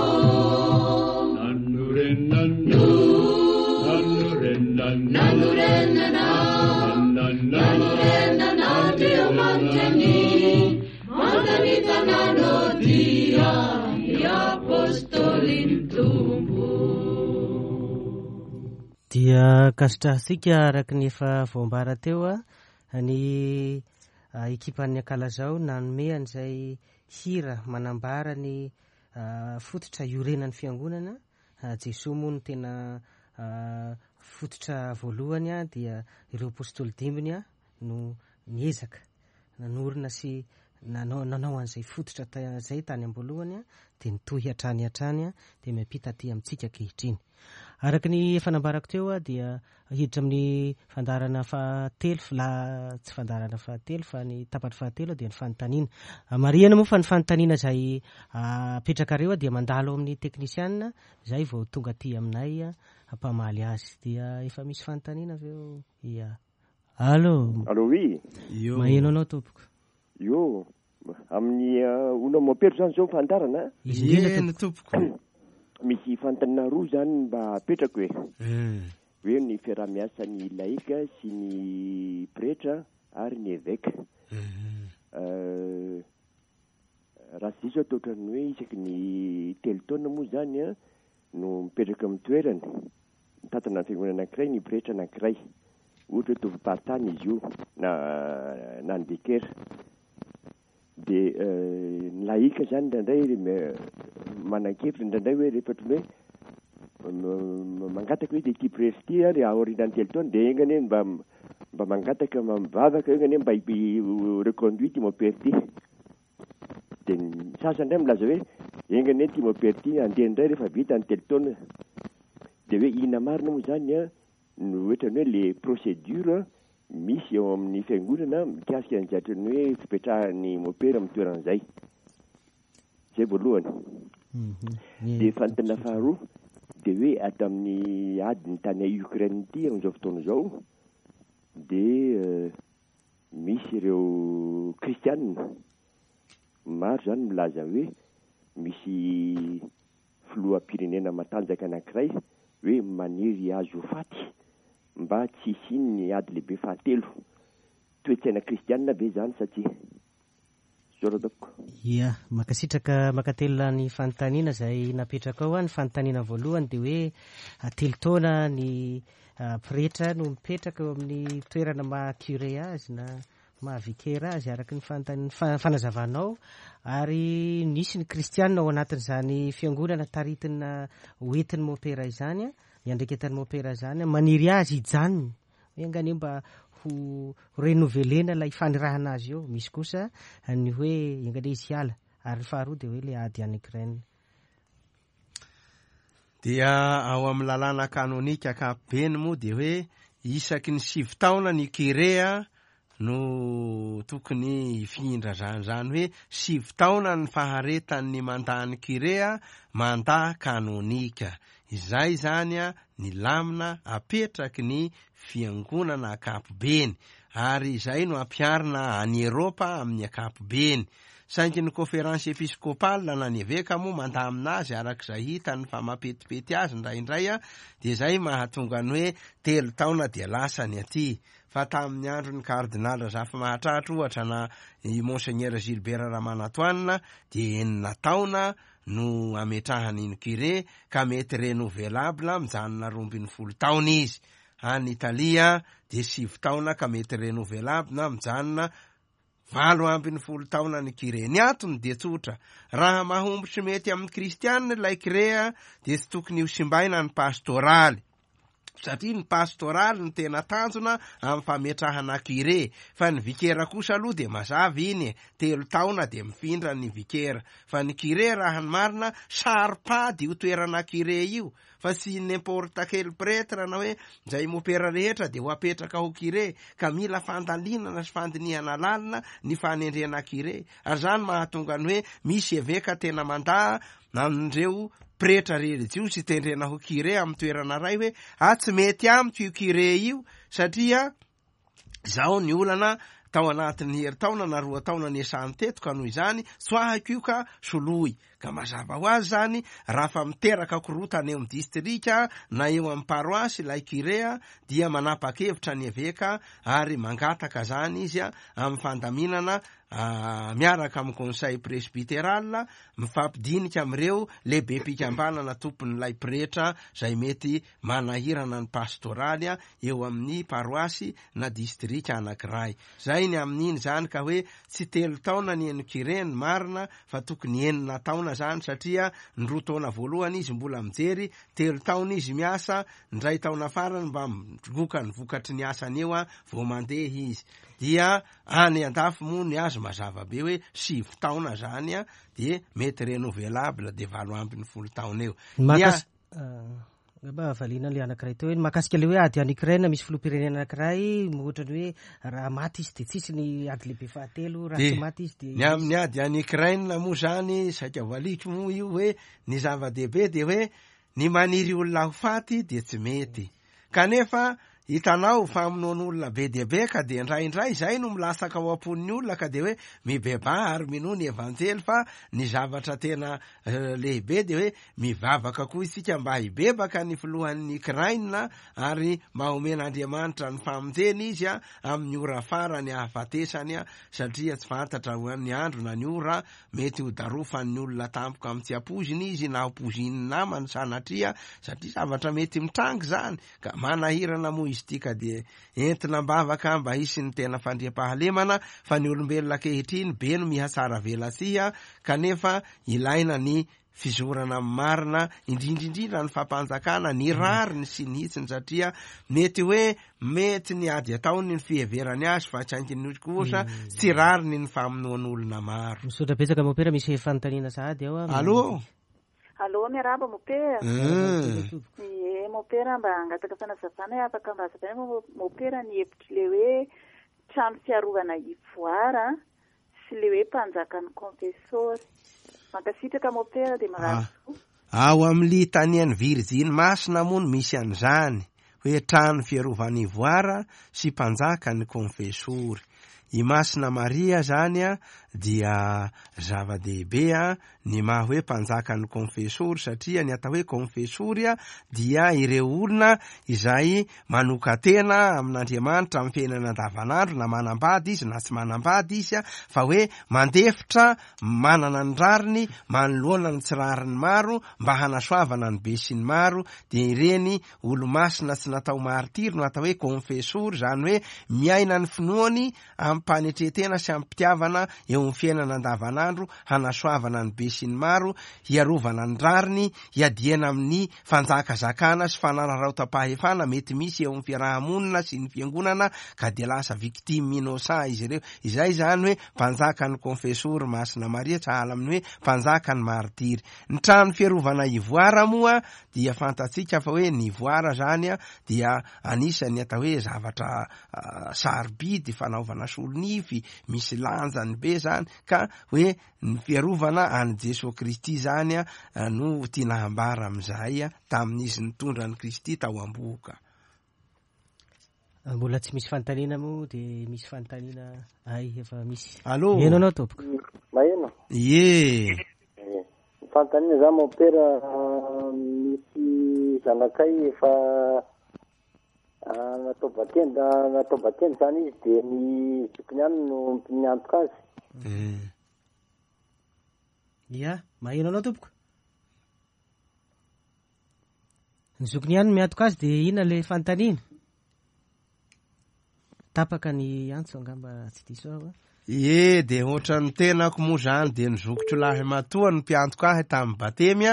S4: Nanorenana. Nanorenana.
S3: Nanorenana, nanorenana Andriamanitra ny mandany tanàna dia ny apôstôlin'ny Tompo.
S2: Dia ankasitrahantsika araka ny efa voambara teo ny ekipan'ny Ankalazao nanome an'izay hira manambara ny fototra iorenan'ny fiangonana. Jesoa moa no tena fototra voalohany, dia ireo apôstôly dimbiny no niezaka nanorina sy nanao an'izay fototra izay tany am-boalohany, dia nitohy hatrany hatrany, dia miampita aty amintsika ankehitriny. Araka ny efa nambarako teo, dia hiditra amin'ny fandaharana fahatelo, la, tsy fandaharana fahatelo fa ny tapany fahatelo dia ny fanontaniana. Marihana moa fa ny fanontaniana izay apetrakareo dia mandalo amin'ny teknisiana izay vao tonga aty aminay hampamaly azy. Dia efa misy fanontaniana avy eo? Ia. Allô?
S5: Allô, oui.
S1: Io.
S2: Maheno anao tompoko.
S5: Io. Amin'ny olona mampetro zany zao fandarana?
S2: Izy indrindra
S1: Eny,
S2: tompoko.
S1: tompoko.
S5: Misy fanontaniana roa zany mba apetrako e. Hoe ny fiaraha-miasan'ny laïka sy ny pretra ary ny évêque. Raha tsy diso aho toa ohatran'ny hoe isaky ny 3 taona moa zany no mipetraka amin'ny toerany. Mitantana ny fiangonana anankiray ny pretra anankiray. Ohatra hoe tompom-paritany izy io na ny vicaire. Dia ny laïka zany indraindray manan-kevitra indraindray hoe rehefa ohatran'ny hoe mangataka hoe ity pretra ity ary aorianan'ny 3 taona dia enga anie mba mangataka mivavaka enga anie mba reconduit ity mompera ity. Dia ny sasany indray milaza hoe enga anie ity mompera ity handeha indray rehefa vita ny 3 taona. Dia hoe inona marina moa zany no ohatran'ny hoe le procédure misy eo amin'ny fiangonana mikasika ny ohatran'ny hoe fipetrahan'ny mompera amin'ny toeran'izay. Izay voalohany. Dia fanontaniana faharoa dia hoe ato amin'ny ady ny tany Ukraine ity amin'izao fotoana izao dia misy ireo kristianina maro zany milaza hoe misy filoham-pirenena matanjaka anankiray hoe maniry azy ho faty mba tsy hisian'ny ady lehibe fahatelo. Toe-tsaina kristianina ve zany sa tsia? Zora tompoko.
S2: Ia, mankasitraka mankatelina ny fanontaniana izay napetraka ao. Ny fanontaniana voalohany dia hoe 3 taona ny pretra no mipetraka eo amin'ny toerana maha curé azy na maha vicaire azy araka ny fanazavanao, ary nisy ny kristianina ao anatin'izany fiangonana taritina hoentin'ny mompera izany, iandraiketan'ny mompera izany, maniry azy hijanona. Hoe anganie mba ho renouvelena ilay fanirahana azy eo. Misy kosa ny hoe anganie izy hiala, ary ny faharoa dia hoe ilay ady any Ukraine.
S1: Dia ao amin'ny lalàna kanonika ankapobeny moa dia hoe isaky ny 9 taona ny curé no tokony hifindra zany, zany hoe 9 taona ny faharetan'ny mandat-n'ny curé mandat kanonika. Izay zany ny lamina apetraky ny fiangonana ankapobeny, ary izay no ampiharina any Eropa amin'ny ankapobeny. Saingy ny Conférence Episcopale na ny Eveka moa mandamina azy arak'izay hitany fa mampetipety azy indraindray dia izay mahatonga ny hoe telo taona dia lasa ny aty. Fa tamin'ny andron'ny Kardinaly Razafimahatratra ohatra na i Monseigneur Gilbert Ramanantoanina dia enina taona no ametrahany ny curé ka mety renouvelable mijanona 12 taona izy. Any Italia dia sivy taona ka mety renouvelable na mijanona 18 taona ny curé. Ny antony dia tsotra, raha mahomby sy mety amin'ny kristianina ilay curé dia tsy tokony ho simbaina ny pastoraly, satria ny pastoraly no tena tanjona amin'ny fametrahana curé, fa ny vikera kosa aloha dia mazava iny e, telo taona dia mifindra ny vikera, fa ny curé raha ny marina saro-pady io toerana curé io, fa tsy n'importe quel prêtre na hoe izay mopera rehetra dia ho apetraka ho curé, ka mila fandalinana sy fandinihana lalina ny fanendrena curé, ary izany mahatonga ny hoe misy eveka tena mandà an'ireo pretra relijiosy tendrena ho curé amin'ny toerana iray hoe ah tsy mety amiko io curé io satria izao ny olana tao anatin'ny herintaona na roa taona niasany teto ka noho izany tsoahiko io ka soloy. Ka mazava ho azy izany raha fa miteraka korontana eo amin'ny distrika na eo amin'ny paroasy ilay curé dia manapa-kevitra ny eveka ary mangataka izany izy amin'ny fandaminana miaraka amin'ny conseil presbyteral mifampidinika amin'ireo lehibem-pikambanana tompon'ilay pretra izay mety manahirana ny pastoraly eo amin'ny paroasy na distrika anankiray. Zay ny amin'iny zany ka hoe tsy telo taona ny eny curé ny marina fa tokony enina taona zany satria ny roa taona voalohany izy mbola mijery, telo taona izy miasa, ny iray taona farany mba migoka ny vokatry ny asany eo vao mandeha izy. Dia any andafy moa ny azy mazava be hoe sivy taona zany dia mety renouvelable dia 18 taona eo.
S2: Ny Angamba valiana ilay anankiray teo hoe ny mahakasika ilay hoe ady any Ukraine, misy filoham-pirenena anankiray ohatra ny hoe raha maty izy dia tsisy ny ady lehibe fahatelo, raha tsy maty izy dia
S1: Ny amin'ny ady any Ukraine moa zany saika valiako moa io hoe ny zava-dehibe dia hoe ny maniry olona ho faty dia tsy mety. Kanefa hitanao famonoan'olona be dia be ka dia indraindray izay no milatsaka ao am-pon'ny olona ka dia hoe mibebaha ary minoa ny evanjely fa ny zavatra tena lehibe dia hoe mivavaka koa isika mba hibebaka ny filohan'ny Ukraine ary mba homen'Andriamanitra ny famonjena izy amin'ny ora farany ahafatesany satria tsy fantatra ny andro na ny ora mety ho darofan'ny olona tampoka amin'ny tsy ampoiziny izy na ho poizinin'ny namany sanatria satria zavatra mety mitranga izany ka manahirana moa izy ity ka dia entina am-bavaka mba hisy ny tena fandriampahalemana fa ny olombelona ankehitriny be no mihatsara velatsihy kanefa ilaina ny fizorana amin'ny marina indrindra indrindra ny fampanjakana ny rariny sy ny hitsiny satria mety hoe mety ny ady ataony ny fiheverany azy fa saingy ny kosa tsy rariny ny famonoan'olona maro.
S2: Misaotra betsaka Mopera, misy fanontaniana sahady ao.
S1: Allô?
S6: Allô, miarahaba Mopera. Ie, Mopera mba hangataka fanazavana hoe afaka mba hazavaina Mopera ny hevitr'ilay hoe trano fiarovana ivoara sy ilay hoe mpanjakan'ny confessor. Mankasitraka Mopera dia mirary soa.
S1: Ao amin'ny litanian'ny Virjiny Masina moa no misy an'izany, hoe trano fiarovana ivoara sy mpanjakan'ny konfesory. I Masina Maria izany dia zava-dehibe ny maha hoe mpanjakan'ny konfesory satria ny atao hoe konfesory dia ireo olona izay manokan-tena amin'Andriamanitra amin'ny fiainana andavanandro na manambady izy na tsy manambady izy fa hoe mandefitra manana ny rariny manoloana ny tsy rariny maro mba hanasoavana ny be sy ny maro dia ireny olomasina tsy natao martiry no atao hoe konfesory, izany hoe miaina ny finoany amim-panetren-tena sy amim-pitiavana eo amin'ny fiainana andavanandro hanasoavana ny be sy ny maro, hiarovana ny rariny, hiadiana amin'ny fanjakazakana sy fanararaotam-pahefana mety misy eo amin'ny fiaraha-monina sy ny fiangonana ka dia lasa victime innocent izy ireo. Izay izany hoe mpanjakan'ny konfesory Masina Maria sahala amin'ny hoe mpanjakan'ny martiry. Ny trano fiarovana ivoara moa dia fantatsika fa hoe ny ivoara zany dia anisan'ny atao hoe zavatra sarobidy fanaovana solonify, misy lanjany be zany ka hoe ny fiarovana an'i Jesoa Kristy zany no tiana hambara amin'izay tamin'izy nitondra an'i Kristy tao am-bohoka.
S2: Mbola tsy misy fanontaniana moa dia misy fanontaniana ay efa misy.
S1: Allô?
S2: Maheno anao tompoko.
S7: Maheno?
S1: Ie.
S7: Ny fanontaniana zany mon père, misy zanakay efa natao batemy, natao batemy zany izy dia ny zokiny ihany no miantoka azy.
S2: Ia, maheno anao tompoko. Ny zokiny ihany no miantoka azy dia inona ilay fanontaniana? Tapaka ny antso angamba tsy diso aho.
S1: Ie, dia ohatran'ny tenako moa izany dia ny zokiko lahimatoa no mpiantoka ahy tamin'ny batemy a,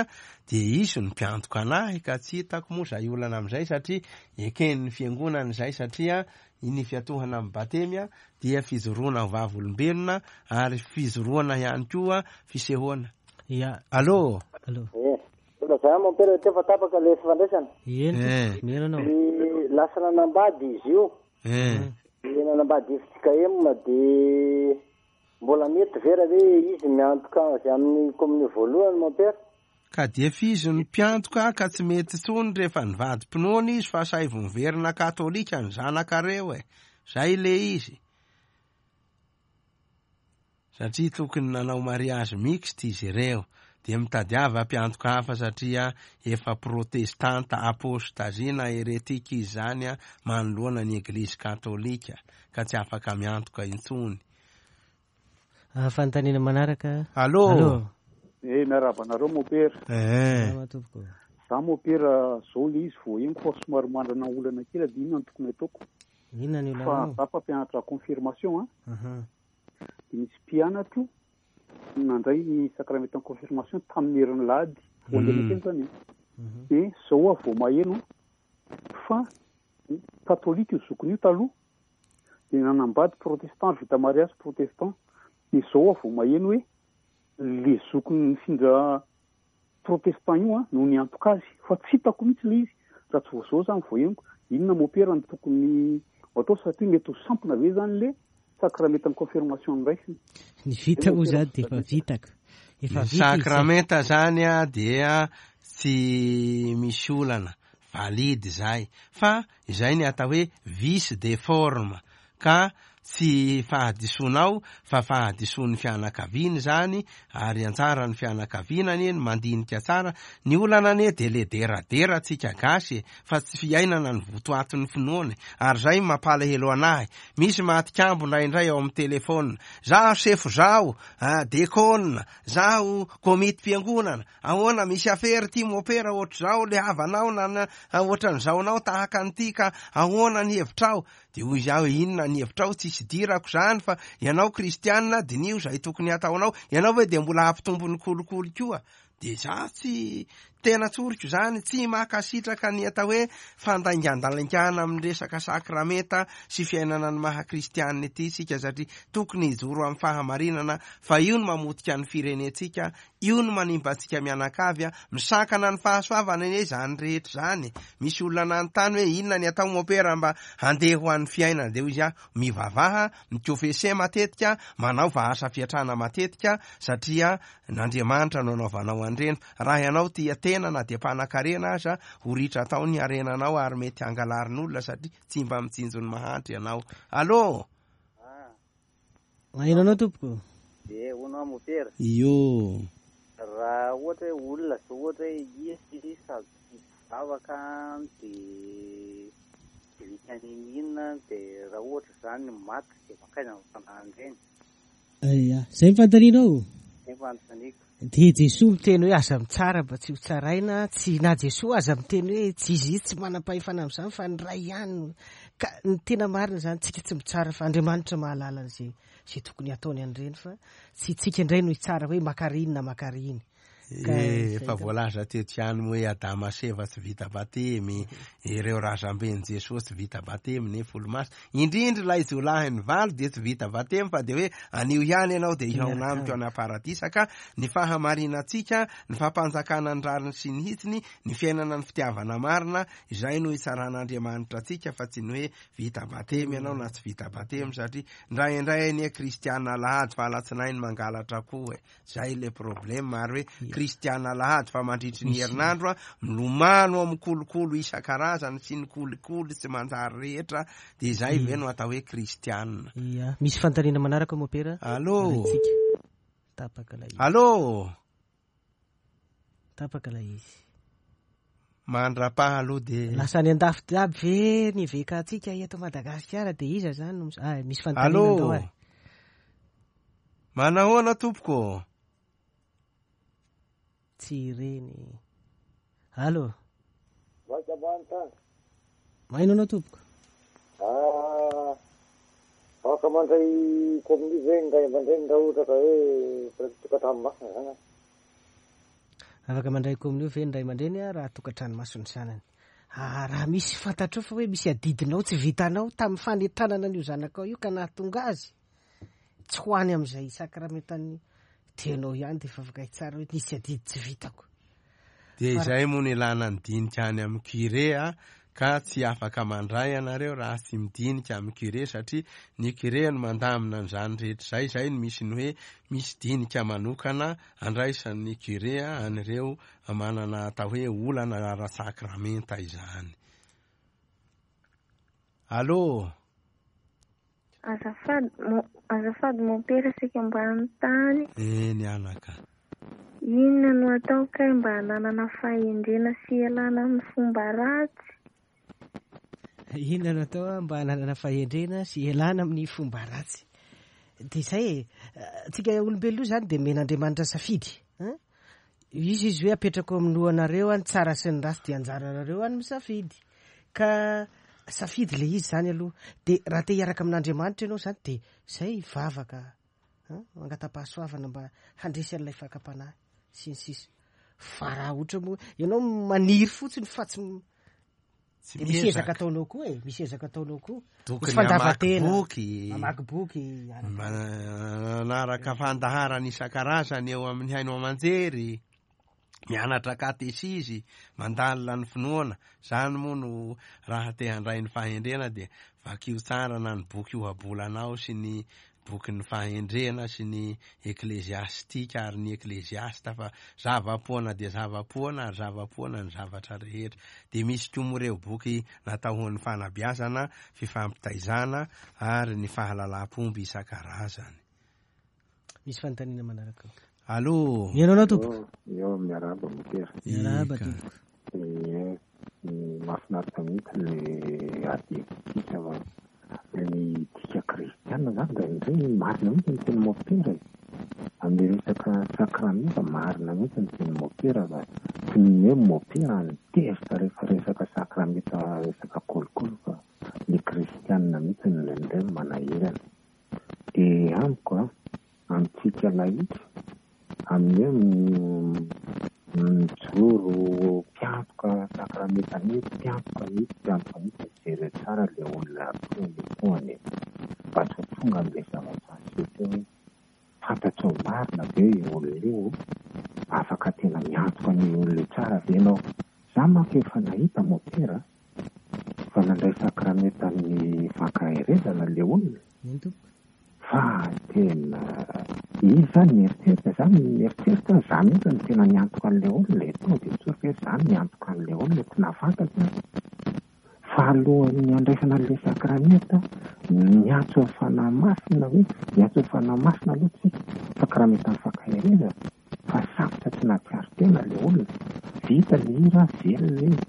S1: dia izy no mpiantoka anahy ka tsy hitako moa izay olana amin'izay satria eken'ny fiangonana izay satria ny fiantohana amin'ny batemy a dia fijoroana ho vavolombelona ary fijoroana ihany koa fisehoana.
S2: Ia.
S1: Allô?
S2: Allô.
S7: Ie. Lazao mon père teo fa tapaka ilay fifandraisana.
S2: Eny tompoko, miheno anao.
S7: Ny lasa nanambady izy io. Dia nanambady FJKM dia mbola mety ve raha hoe izy miantoka azy amin'ny kominio voalohany mon père?
S1: Ka dia efa izy no mpiantoka ka tsy mety intsony rehefa nivadi-pinoana izy fa asaivo miverina katolika ny zanakareo e! Zay le izy. Satria tokony nanao mariage mixte izy ireo. Dia mitadiava mpiantoka hafa satria efa protestanta apostasie na heretique izy izany manoloana ny eglizy katolika ka tsy afaka miantoka intsony.
S2: Fanontaniana manaraka.
S1: Allô.
S2: Allô.
S8: Eh, miarahaba anareo mopera.
S1: Eh.
S2: Salama tompoko.
S8: Za mopera zao le izy vao henoko fa somary manana olana kely dia inona no tokony ataoko?
S2: Inona ny
S8: Fa
S2: olanao?
S8: za mpampianatra confirmation an.
S2: Aha.
S8: Dia nisy mpianatro nandray ny sakramentan'ny confirmation tamin'ny herin'ny lahady vao andeha teny zany an. Dia zao aho vao maheno fa katolika io zokiny io taloha dia nanambady protestant vita mariage protestant. Dia zao aho vao maheno hoe le zokiny nifindra protestant io an no niantoka azy fa tsy hitako mihitsy le izy raha tsy vao zao zany vao henoko. Inona mopera no tokony ho atao satria mety ho sampona ve zany le sakramentan'ny confirmation noraisiny?
S2: Ny vita moa zany dia efa vitako. Efa
S1: Ny
S2: vita izy.
S1: sakramenta zany a dia tsy misy olana, valide izay, fa izay ny atao hoe vice de forme ka tsy fahadisoanao fa fahadisoan'ny fianakaviana izany ary anjaran'ny fianakaviana anie ny mandinika tsara. Ny olana anie dia le deradera tsika gasy e, fa tsy fiainana ny votoatin'ny finoana e. Ary izay mampalahelo anahy. Misy matikambo indraindray ao amin'ny telephone. Zaho sefo zaho, dekona, zaho komitim-piangonana, ahoana misy afera ity mopera ohatr'izao le havanao na ohatran'izao anao tahaka an'ity ka ahoana ny hevitrao? Dia hoy izaho hoe inona ny hevitrao, tsisy idirako izany fa ianao kristianina diniho izay tokony hataonao, ianao ve dia mbola hampitombo ny kolikoly koa? Dia izaho tsy, tena tsoriko izany, tsy mankasitraka ny atao hoe fandaingandalingana amin'ny resaka sakramenta sy fiainana ny maha kristianina ity isika satria tokony hijoro amin'ny fahamarinana fa io no mamotika ny firenentsika, io no manimba antsika mianakavy, misakana ny fahasoavana anie izany rehetra izany. Misy olona nanontany hoe inona ny atao mopera mba handeha ho an'ny fiainana, dia hoy izy aho, mivavaha, mikofese matetika, manaova asa fiatrana matetika satria N'Andriamanitra no anaovanao an'ireny. Raha ianao tia tena na dia mpanakarena aza, ho ritra tao ny harenanao ary mety hangalarin'olona satria tsy mba mitsinjo ny mahantra ianao. Allô!
S2: Maheno anao tompoko.
S7: Dia hono aho mopera.
S1: Io.
S7: Raha ohatra hoe olona zao ohatra hoe izy sady tsy mpivavaka dia tsy vita n'inon'inona dia raha ohatra izany maty dia mankaiza ny fanahin'ireny?
S2: Ia, izay ny fanontanianao?
S7: Izay ny fanontaniako.
S2: Dia Jesoa miteny hoe aza mitsara mba tsy ho tsaraina, tsy na Jesoa aza miteny hoe tsy izy tsy manam-pahefana amin'izany fa ny Ray ihany no. Ka ny tena marina izany tsika tsy mitsara fa Andriamanitra mahalala an'izay izay tokony hataony an'ireny fa tsy tsika indray no hitsara hoe makary iny na makary iny.
S1: Eh, efa voalaza teto ihany moa hoe Adama sy Eva tsy vita batemy, ireo razamben'i Jesoa tsy vita batemy nefa olomasina. Indrindra ilay jiolahy nivalo dia tsy vita batemy fa dia hoe anio ihany ianao dia hihaona amiko any am-paradisa ka ny fahamarinantsika, ny fampanjakana ny rariny sy ny hitsiny, ny fiainana ny fitiavana marina, izay no hitsaran'Andriamanitra antsika fa tsy ny hoe vita batemy ianao na tsy vita batemy satria indraindray anie kristiana alahady fa alatsinainy mangalatra koa e. Zay le problème ary hoe Kristiana alahady fa mandritry ny herinandro a, milomano amin'ny kolokolo isan-karazany sy ny kolikoly tsy manjary rehetra, dia izay ve no atao hoe Kristiana?
S2: Ia. Misy fanontaniana manaraka Mopera?
S1: Allô?
S2: Arahintsika. Tapaka ilay izy.
S1: Allô?
S2: Tapaka ilay izy.
S1: Mandrapaha aloha dia.
S2: Lasa any andafy aby ve ny eveka-ntsika eto Madagasikara dia iza izany no mis-, ah, misy fanontaniana
S1: Allô?
S2: andao ary.
S1: Manahoana tompoko?
S2: Tsy ireny. Allô?
S9: Vaky ambany tany.
S2: Maino anao tompoko.
S9: Ah, afaka mandray kominio ve ny ray aman-dreny raha ohatra ka hoe tokantrano masina zany an?
S2: Afaka mandray kominio ve ny ray aman-dreny raha tokantrano masina ny zanany? Ah, raha misy fantatrao fa hoe misy adidinao tsy vitanao tamin'ny fanentanana an'io zanakao io ka nahatonga azy tsy ho any amin'izay sakramentan'ny tenao ihany dia efa afaka hitsara hoe nisy adidy tsy vitako.
S1: Dia izay moa no ilana ny dinika any amin'ny curé a, ka tsy afaka mandray ianareo raha tsy midinika amin'ny curé satria ny curé no mandamina an'izany rehetra izay, izay no misy ny hoe misy dinika manokana andraisan'ny curé an'ireo manana atao hoe olana ara-tsakramenta izany. Allô?
S10: Azafady mon azafady mompera saika mba hanontany.
S1: Eny anaka.
S10: Inona no atao kay mba hananana fahendrena sy hialana amin'ny fomba ratsy?
S2: Inona no atao mba hananana fahendrena sy hialana amin'ny fomba ratsy? Dia izay e, antsika olombelona io izany dia omen'Andriamanitra safidy. Hein? Izy izy hoe apetrako amin'ny lohanareo ny tsara sy ny ratsy dia anjaranareo any misafidy. Ka safidy ilay izy izany aloha. Dia raha te hiaraka amin'Andriamanitra ianao izany dia izay vavaka, hein, mangata-pahasoavana mba handresy an'ilay fakam-panahy sy ny sisa. Fa raha ohatra moa ianao maniry fotsiny fa tsy
S1: Tsy
S2: Dia misy
S1: miezaka.
S2: ezaka ataonao koa e, misy ezaka ataonao koa. Misy
S1: Tokony hamaky
S2: fandavan-tena.
S1: boky.
S2: Mamaky boky, araka.
S1: Manaraka fandaharana isan-karazany eo amin'ny haino aman-jery, mianatra katesizy, mandalina ny finoana. Izany moa no raha te handray ny fahendrena dia vakio tsara na ny boky ohabolanao sy ny Bokin'ny Fahendrena sy ny Ekleziastika ary ny Ekleziasta fa zava-poana dia zava-poana ary zava-poana ny zavatra rehetra. Dia misy koa moa ireo boky natao ho an'ny fanabeazana, fifampitaizana ary ny fahalalam-pomba isan-karazany.
S2: Misy fanontaniana manaraka ao.
S1: Allo.
S2: Mihaino anao tompoko.
S11: Eo, miarahaba Motera.
S2: Miarahaba
S1: Eka.
S2: tompoko.
S11: Ie, mahafinaritra mihitsy le ady hevitsika fa ny dika kristiana zany indraindray marina mihitsy ny teny mopera e. Amin'ny resaka sakramenta marina mihitsy ny teny mopera fa tsy ny hoe mopera no tezitra rehefa resaka sakramenta resaka kolikoly fa ny kristiana mihitsy no indraindray no manahirana. Dia amiko an, amintsika lahika, amin'ny hoe mijoro mpiantoka sakramenta mihitsy, mpiantoka mihitsy, mpiantoka mihitsy, jereo tsara ilay olona atohany e, mba tsy ho tonga amin'ilay zavatra niseho teo hoe fantatrao marina ve io olona io, afaka tena miantoka an'io olona io tsara ve ianao? Za manko efa nahita mopera fa nandray sakramentan'ny fankaherezana le olona
S2: Eny tompoko.
S11: fa tena izy zany mieritreritra, za mieritreritra aho za mihitsy no tena niantoka an'le olona e, tonga de tsoriko hoe za no niantoka an'le olona tsy nahafantatra aho fa alohan'ny handraisana an'le sakramenta niantso ny fanahy masina hoe niantso ny fanahy masina aloha tsika sakramentan'ny fankaherezana fa safotra tsy nahatsiaro tena ilay olona, vita ny hira, velona izy,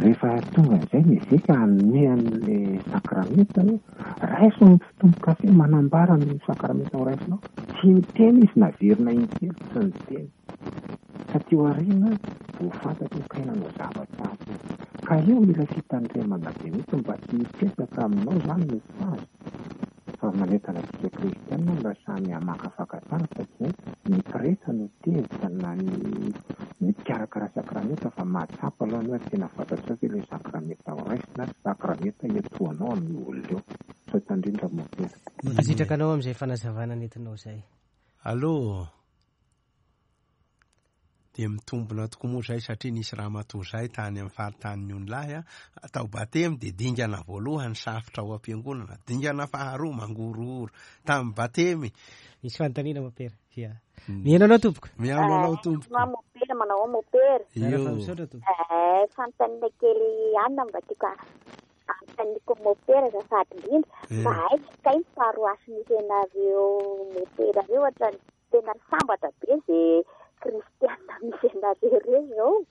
S11: rehefa tonga amin'izay ny eveka hanome an'ilay sakramenta hoe raiso ny fitombo-kafe manambara ny sakramenta ho raisinao, tsy niteny izy naverina intelo tsy niteny, taty aoriana vao fantatra hoe kay nanao zavatra hafa izy, ka eo mila fitandremana be mihitsy mba tsy hipetraka aminao izany ny sazy. Fa manentana antsika kristiana mba samy hamakafaka tsara fa tsy hoe ny pretra no tezitra na ny ny mpikarakara sakramenta fa mahatsapa aloha ny hoe tena fantatrao ve ilay sakramenta ho raisina sy sakramenta iantohanao amin'io olona io. Misaotra indrindra Mompera.
S2: Mankasitraka anao amin'izay fanazavana nentinao izay.
S1: Allô. Dia mitombina tokoa moa izay satria nisy ramatoa izay tany amin'ny faritanin'ny Onilahy atao batemy dia dingana voalohany safotra ao am-piangonana, dingana faharoa mangorohoro tamin'ny batemy.
S2: Misy fanontaniana Mompera. Ia. Mihaino anao tompoko.
S1: Mihaino anao tompoko.
S6: Mopera.
S12: pretra, manao ahoana mopera?
S1: Io.
S2: Misaotra tompoko.
S12: Eh, fanontaniana kely ihany mba tiako anontaniako mopera azafady indrindra.
S1: Eh.
S12: Mba aiza kay ny paroasy misy anareo mopera reo ohatrany tena sambatra be ze kristiana misy anareo reo zao.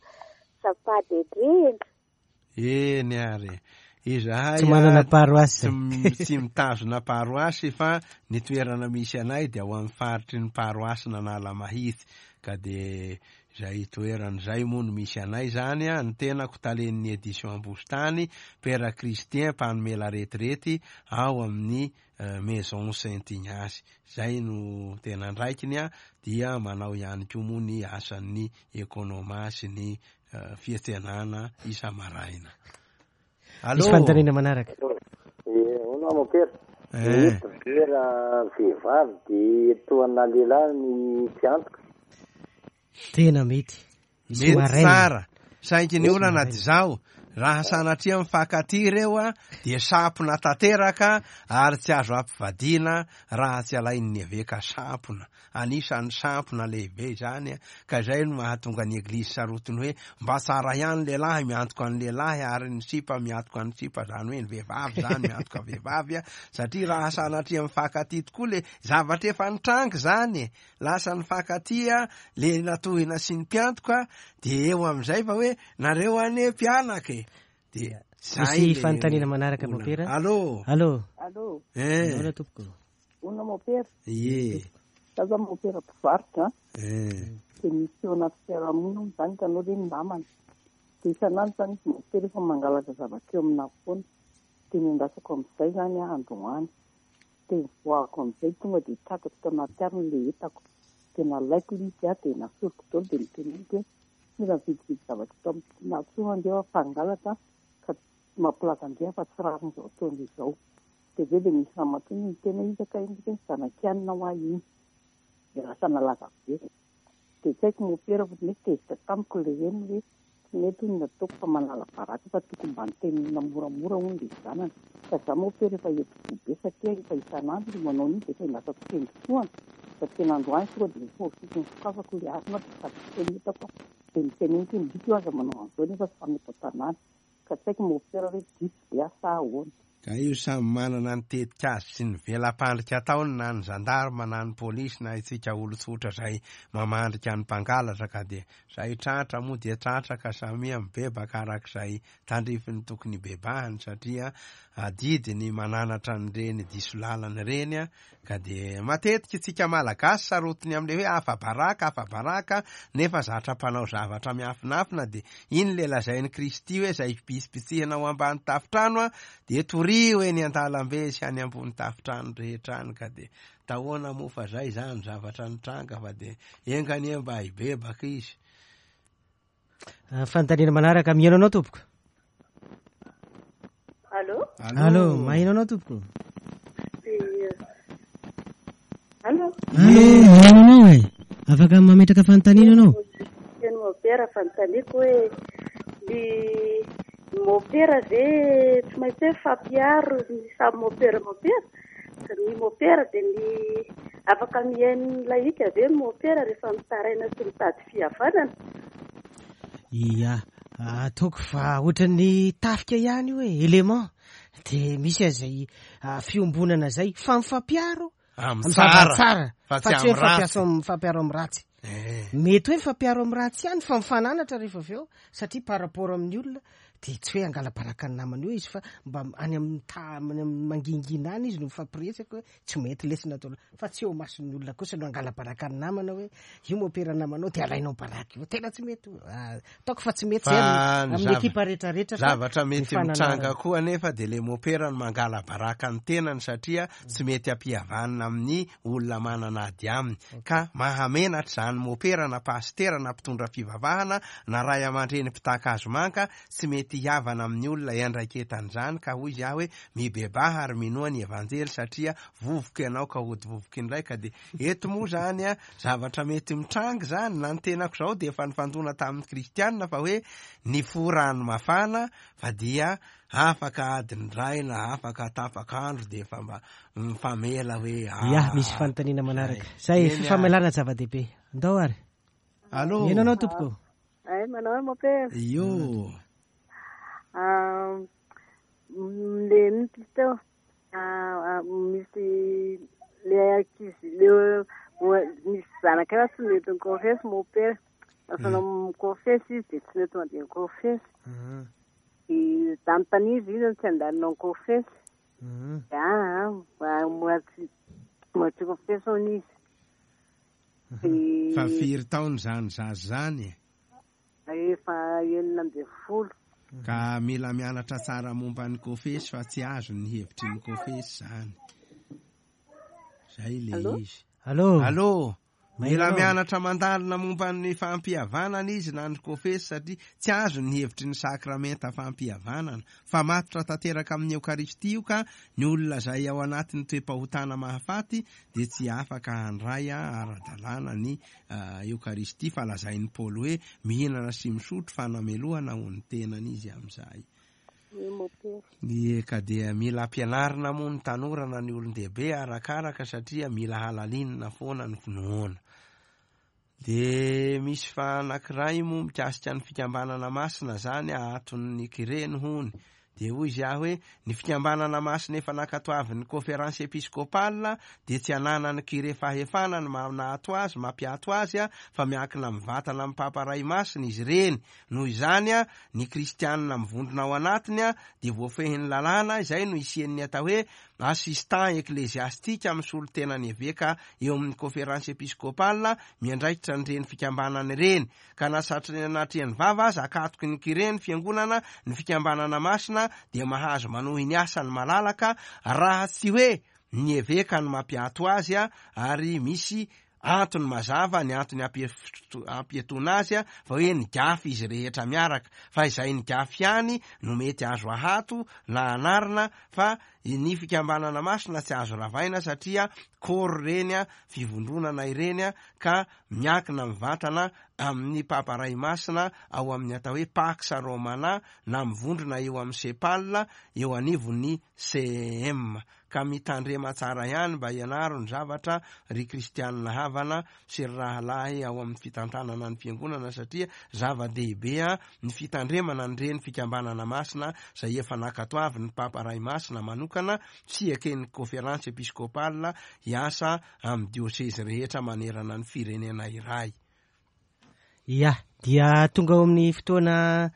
S12: Azafady indrindra.
S1: Eny ary. Izahay
S2: Tsy manana paroasy.
S1: Tsy mitazona paroasy fa ny toerana misy anay dia ao amin'ny faritry ny paroasin'Analamahitsy. Ka dia izay toerana izay moa no misy anay izany an. Ny tenako talen'ny Edition Ambositany, Père Christien mpanome la retraite ao amin'ny Maison Saint Ignace. Izay no tena andraikiny an, dia manao ihany koa moa ny asan'ny ekonoma sy ny fiantsenana isa-maraina. Allo.
S2: Misy fanontaniana manaraka.
S9: Eh, hono aho mopera.
S1: Eh.
S9: Mety ve raha vehivavy dia tohana lehilahy ny mpiantoka?
S2: Tena mety. Misy
S1: Mety
S2: maraina.
S1: tsara. Saingy ny
S2: Misy
S1: olana
S2: maraina.
S1: dia izao, raha sanatria mifankatia ireo a, dia sampona tanteraka ary tsy azo ampivadiana raha tsy alain'ny eveka sampona. Anisan'ny sampona lehibe izany ka izay no mahatonga ny eglizy sarotiny hoe mba tsara ihany lehilahy miantoka ny lehilahy ary ny sipa miantoka ny sipa, izany hoe ny vehivavy izany miantoka vehivavy satria raha sanatria mifankatia tokoa le zavatra efa nitranga izany e, lasa nifankatia le natohina sy ny mpiantoka dia eo amin'izay fa hoe nareo anie mpianaka e, dia zay
S2: Misy
S1: le
S2: fanontaniana manaraka
S1: olana.
S2: mopera.
S1: Allô.
S2: Allô.
S6: Allô.
S1: Eh.
S2: Ahoana tompoko?
S6: Hono mopera.
S1: Ie.
S6: Za zao mopera mpivarotra.
S1: Eh.
S6: Dia misy eo anaty fiarahamonina moa izany hitanao hoe ny namana. Dia isan'andro izany izy mopera efa mangalatra zavatra eo aminahy foana. Dia nendrasako amin'izay izany aho androany. Dia nivoahako amin'izay tonga dia tratrako tao anaty harona ilay entako. Dia nalaiko ilay izy aho dia nasoriko daholo dia noteneniko hoe tsy mila mividividy zavatra eto aminà intsony ange aho fa hangalatra ka mampilaza ange fa tsy rariny izao ataony izao. Dia avy eo dia nisy ramatoa niteny hoe iza kay iny hoe zanak'i anona ho ahy iny. Dia lasa nalaza be. Dia tsy haiko mopera fa mety tezitra tamiko ilay reniny hoe tsy mety hono ny ataoko fa manala baraka fa tokony mba nitenenina moramora hono ilay zanany. Ka za mopera efa enti-po be satria efa isan'andro no manao an'iny dia efa endrasako tendrotohana. Fa tena androany tonga dia niforofiko ny sokafako ilay harona dia sady tsy hitako aho. Dia niteneniko hoe ndry io aza manao an'izao nefa samy eto an-tanàna. Ka tsy haiko mopera hoe diso ve aho sa ahoana.
S1: Ka io samy manana ny tetik'azy sy ny vela-pandrika ataony na ny zandarma na ny polisy na itsika olon-tsotra izay mamandrika ny mpangalatra ka dia izay tratra moa dia tratra ka samia mibebaka arak'izay tandrifiny tokony hibebahany satria adidy ny mananatra an'ireny diso lalana ireny ka dia matetika itsika Malagasy sarotiny amin'ilay hoe afa-baraka afa-baraka nefa zatra mpanao zavatra miafinafina dia iny ilay lazain'i Kristy hoe izay bitsibitsihina ao ambany tafontrano dia torio eny an-dalambe sy any ambony tafontrano rehetra any ka dia tahoana moa fa zay izany zavatra nitranga fa dia enga anie mba hibebaka izy.
S2: Fanontaniana manaraka mihaino anao tompoko.
S6: Allô?
S2: Allô, maheno anao tompoko.
S6: Allô?
S2: Allô, maheno anao e. Afaka mametraka fanontaniana ianao.
S6: Teny mopera fanontaniako hoe ny mopera ve tsy maintsy hoe fampiaro ny samy mopera mopera? Ny mopera dia ny afaka mihaino ny lahika ve ny mopera rehefa mitaraina sy mitady fihavanana?
S2: Ia, ataoko fa ohatran'ny tafika ihany io e, élément. Dia misy an'izay fiombonana izay fa mifampiaro
S1: Amin'ny
S2: amin'ny zavatra
S1: tsara,
S2: tsara,
S1: fa
S2: fa
S1: tsy
S2: tsy hoe
S1: amin'ny ratsy.
S2: mifampiaro amin'ny ratsy.
S1: Eh.
S2: Mety hoe mifampiaro amin'ny ratsy ihany fa mifananatra rehefa avy eo satria par rapport amin'ny olona dia tsy hoe hangala-baraka ny namany eo izy fa mba any amin'ny any amin'ny mangingina any izy no mifampiresaka hoe tsy mety lesona atao fa tsy eo mason'ny olona kosa no hangala-baraka ny namana hoe io mopera namanao dia alainao baraka io tena tsy mety io. Ataoko fa tsy mety
S1: Fa
S2: zay
S1: ny
S2: amin'ny ekipa rehetrarehetra fa
S1: zavatra mety
S2: ny fananarana.
S1: mitranga koa anefa dia le mopera no mangala-baraka ny tenany satria tsy mety ampihavanina amin'ny olona manana ady aminy. Ka mahamenatra izany mopera na pasitera na mpitondra fivavahana na ray aman-dreny mpitaka azo manka tsy mety hihavana amin'ny olona iandraiketan'izany ka hoy izy aho hoe mibebaha ary minoa ny evanjely satria vovoka ianao ka hody vovoka indray ka dia eto moa izany a zavatra mety mitranga izany na ny tenako izao dia efa nifandona tamin'ny kristianina fa hoe ny fo rano mafana fa dia afaka adiny iray na afaka tapak'andro dia efa mba mifamela hoe
S2: Ya, misy fanontaniana manaraka. Zay
S1: Eny,
S2: fifamelana zava-dehibe. Andao ary.
S1: Allô.
S2: Mihaino anao tompoko.
S13: Ay, manao hoe mopera.
S1: Io.
S13: Ah, le ino teo? Ah, ah, misy le ankizy le misy zanaka eo tsy mety mikofesy mopera. Lasa mikofesy izy dia tsy mety mandeha mikofesy. Dia tanontaniana izy izy tsy andalinao mikofesy. Dia ah, ah, mbola tsy mbola tsy kofesy hono izy. Dia
S1: Fa firy taona izany zaza izany e?
S13: Efa 16.
S1: Ka mila mianatra tsara momba ny kofesy fa tsy azo ny hevitry ny kofesy izany. Zay le
S2: Allô?
S1: izy.
S2: Allô?
S1: Allô? Mila
S2: Maheno.
S1: mianatra mandalina momba ny fampihavanana izy na ny kofesy satria tsy azo ny hevitry ny sakramenta fampihavanana. Fa matotra tanteraka amin'ny Eokaristia io ka ny olona izay ao anatin'ny toe-pahotana mahafaty dia tsy afaka handray ara-dalàna ny Eokaristia fa lazain'i Paoly hoe mihinana sy misotro fanamelohana ho ny tenany izy amin'izay. Ie, ka dia mila ampianarina moa ny tanora na ny olon-dehibe arakaraka satria mila halalinina foana ny finoana. Dia misy fa anankiray moa mikasika ny fikambanana masina zany ahaton'ny kireny hony. Dia hoy izy aho hoe ny fikambanana masina efa nankatoavin'ny conférence épiscopale dia tsy ananan'ny kire fahefana ny maha-nahato azy, mampiato azy fa miankina mivantana amin'ny Papa Ray Masina izy ireny. Noho izany, ny kristianina mivondrona ao anatiny dia voafehin'ny lalàna, izay no isian'ny atao hoe assistant ecclésiastique misolo tena ny eveka eo amin'ny conférence épiscopale miandraikitra an'ireny fikambanana ireny. Ka na satrinanatrehan'ny vava aza akatoky ny kire ny fiangonana, ny fikambanana masina dia mahazo manohy ny asany malalaka raha tsy hoe ny eveka no mampiato azy ary misy antony mazava ny antony ampiatoana azy fa hoe nigafy izy rehetra miaraka fa izay nigafy ihany no mety azo ahato na anarina fa ny fikambanana masina tsy azo ravaina satria corps ireny fivondronana ireny ka miankina mivantana amin'ny Papa Ray Masina ao amin'ny atao hoe Pax Romana na mivondrona eo amin'ny CEPAL eo anivon'ny CEM. Ka mitandrema tsara ihany mba ianaro ny zavatra ry kristianina havana sy ry rahalahy ao amin'ny fitantanana ny fiangonana satria zava-dehibe ny fitandremana an'ireny fikambanana masina izay efa nankatoavin'ny Papa Ray Masina manokana sy eken'ny Conférence Episcopale hiasa amin'ny diosezy rehetra manerana ny firenena iray.
S2: Ya, dia tonga ao amin'ny fotoana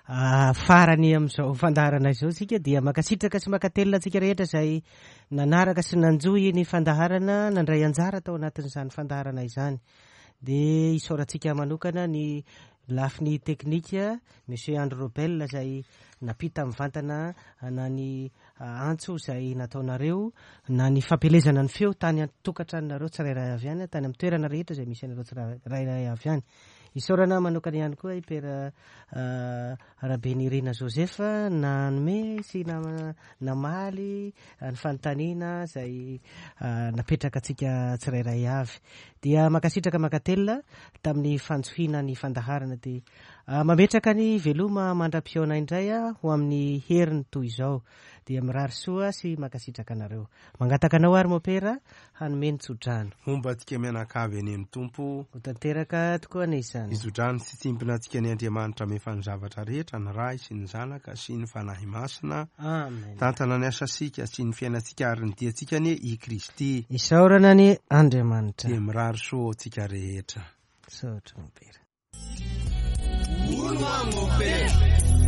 S2: farany amin'izao fandaharana izao isika, dia mankasitraka sy mankatelina antsika rehetra izay nanaraka sy nanjohy ny fandaharana, nandray anjara tao anatin'izany fandaharana izany. Dia isaorantsika manokana ny lafiny teknika, Monsieur Andry Robel izay nampita mivantana na ny antso izay nataonareo na ny fampielezana ny feo tany an-tokantranonareo tsirairay avy any, tany amin'ny toerana rehetra izay misy anareo tsirairay avy any. Isaorana manokana ihany koa i Père Rabenirina Joseph nanome sy namaly ny fanontaniana izay napetraka antsika tsirairay avy. Dia mankasitraka mankatelina tamin'ny fanjohiana ny fandaharana. Dia mametraka ny veloma mandra-pihaona indray ho amin'ny heriny toy izao. Dia mirary soa sy mankasitraka anareo. Mangataka anao ary Mopera hanome ny tsodrano.
S1: Homba antsika mianakavy anie ny Tompo.
S2: Ho tanteraka tokoa anie izany.
S1: Hitsodrano sy tsimpona antsika ny Andriamanitra mefa ny zavatra rehetra, ny Ray sy ny Zanaka sy ny Fanahy Masina.
S2: Amen.
S1: Tantana ny asantsika sy ny fiainantsika ary ny diantsika anie i Kristy.
S2: Isaorana anie Andriamanitra.
S1: Dia mirary soa ho antsika rehetra.
S2: Misaotra Mopera.
S3: Hono hoa Mopera.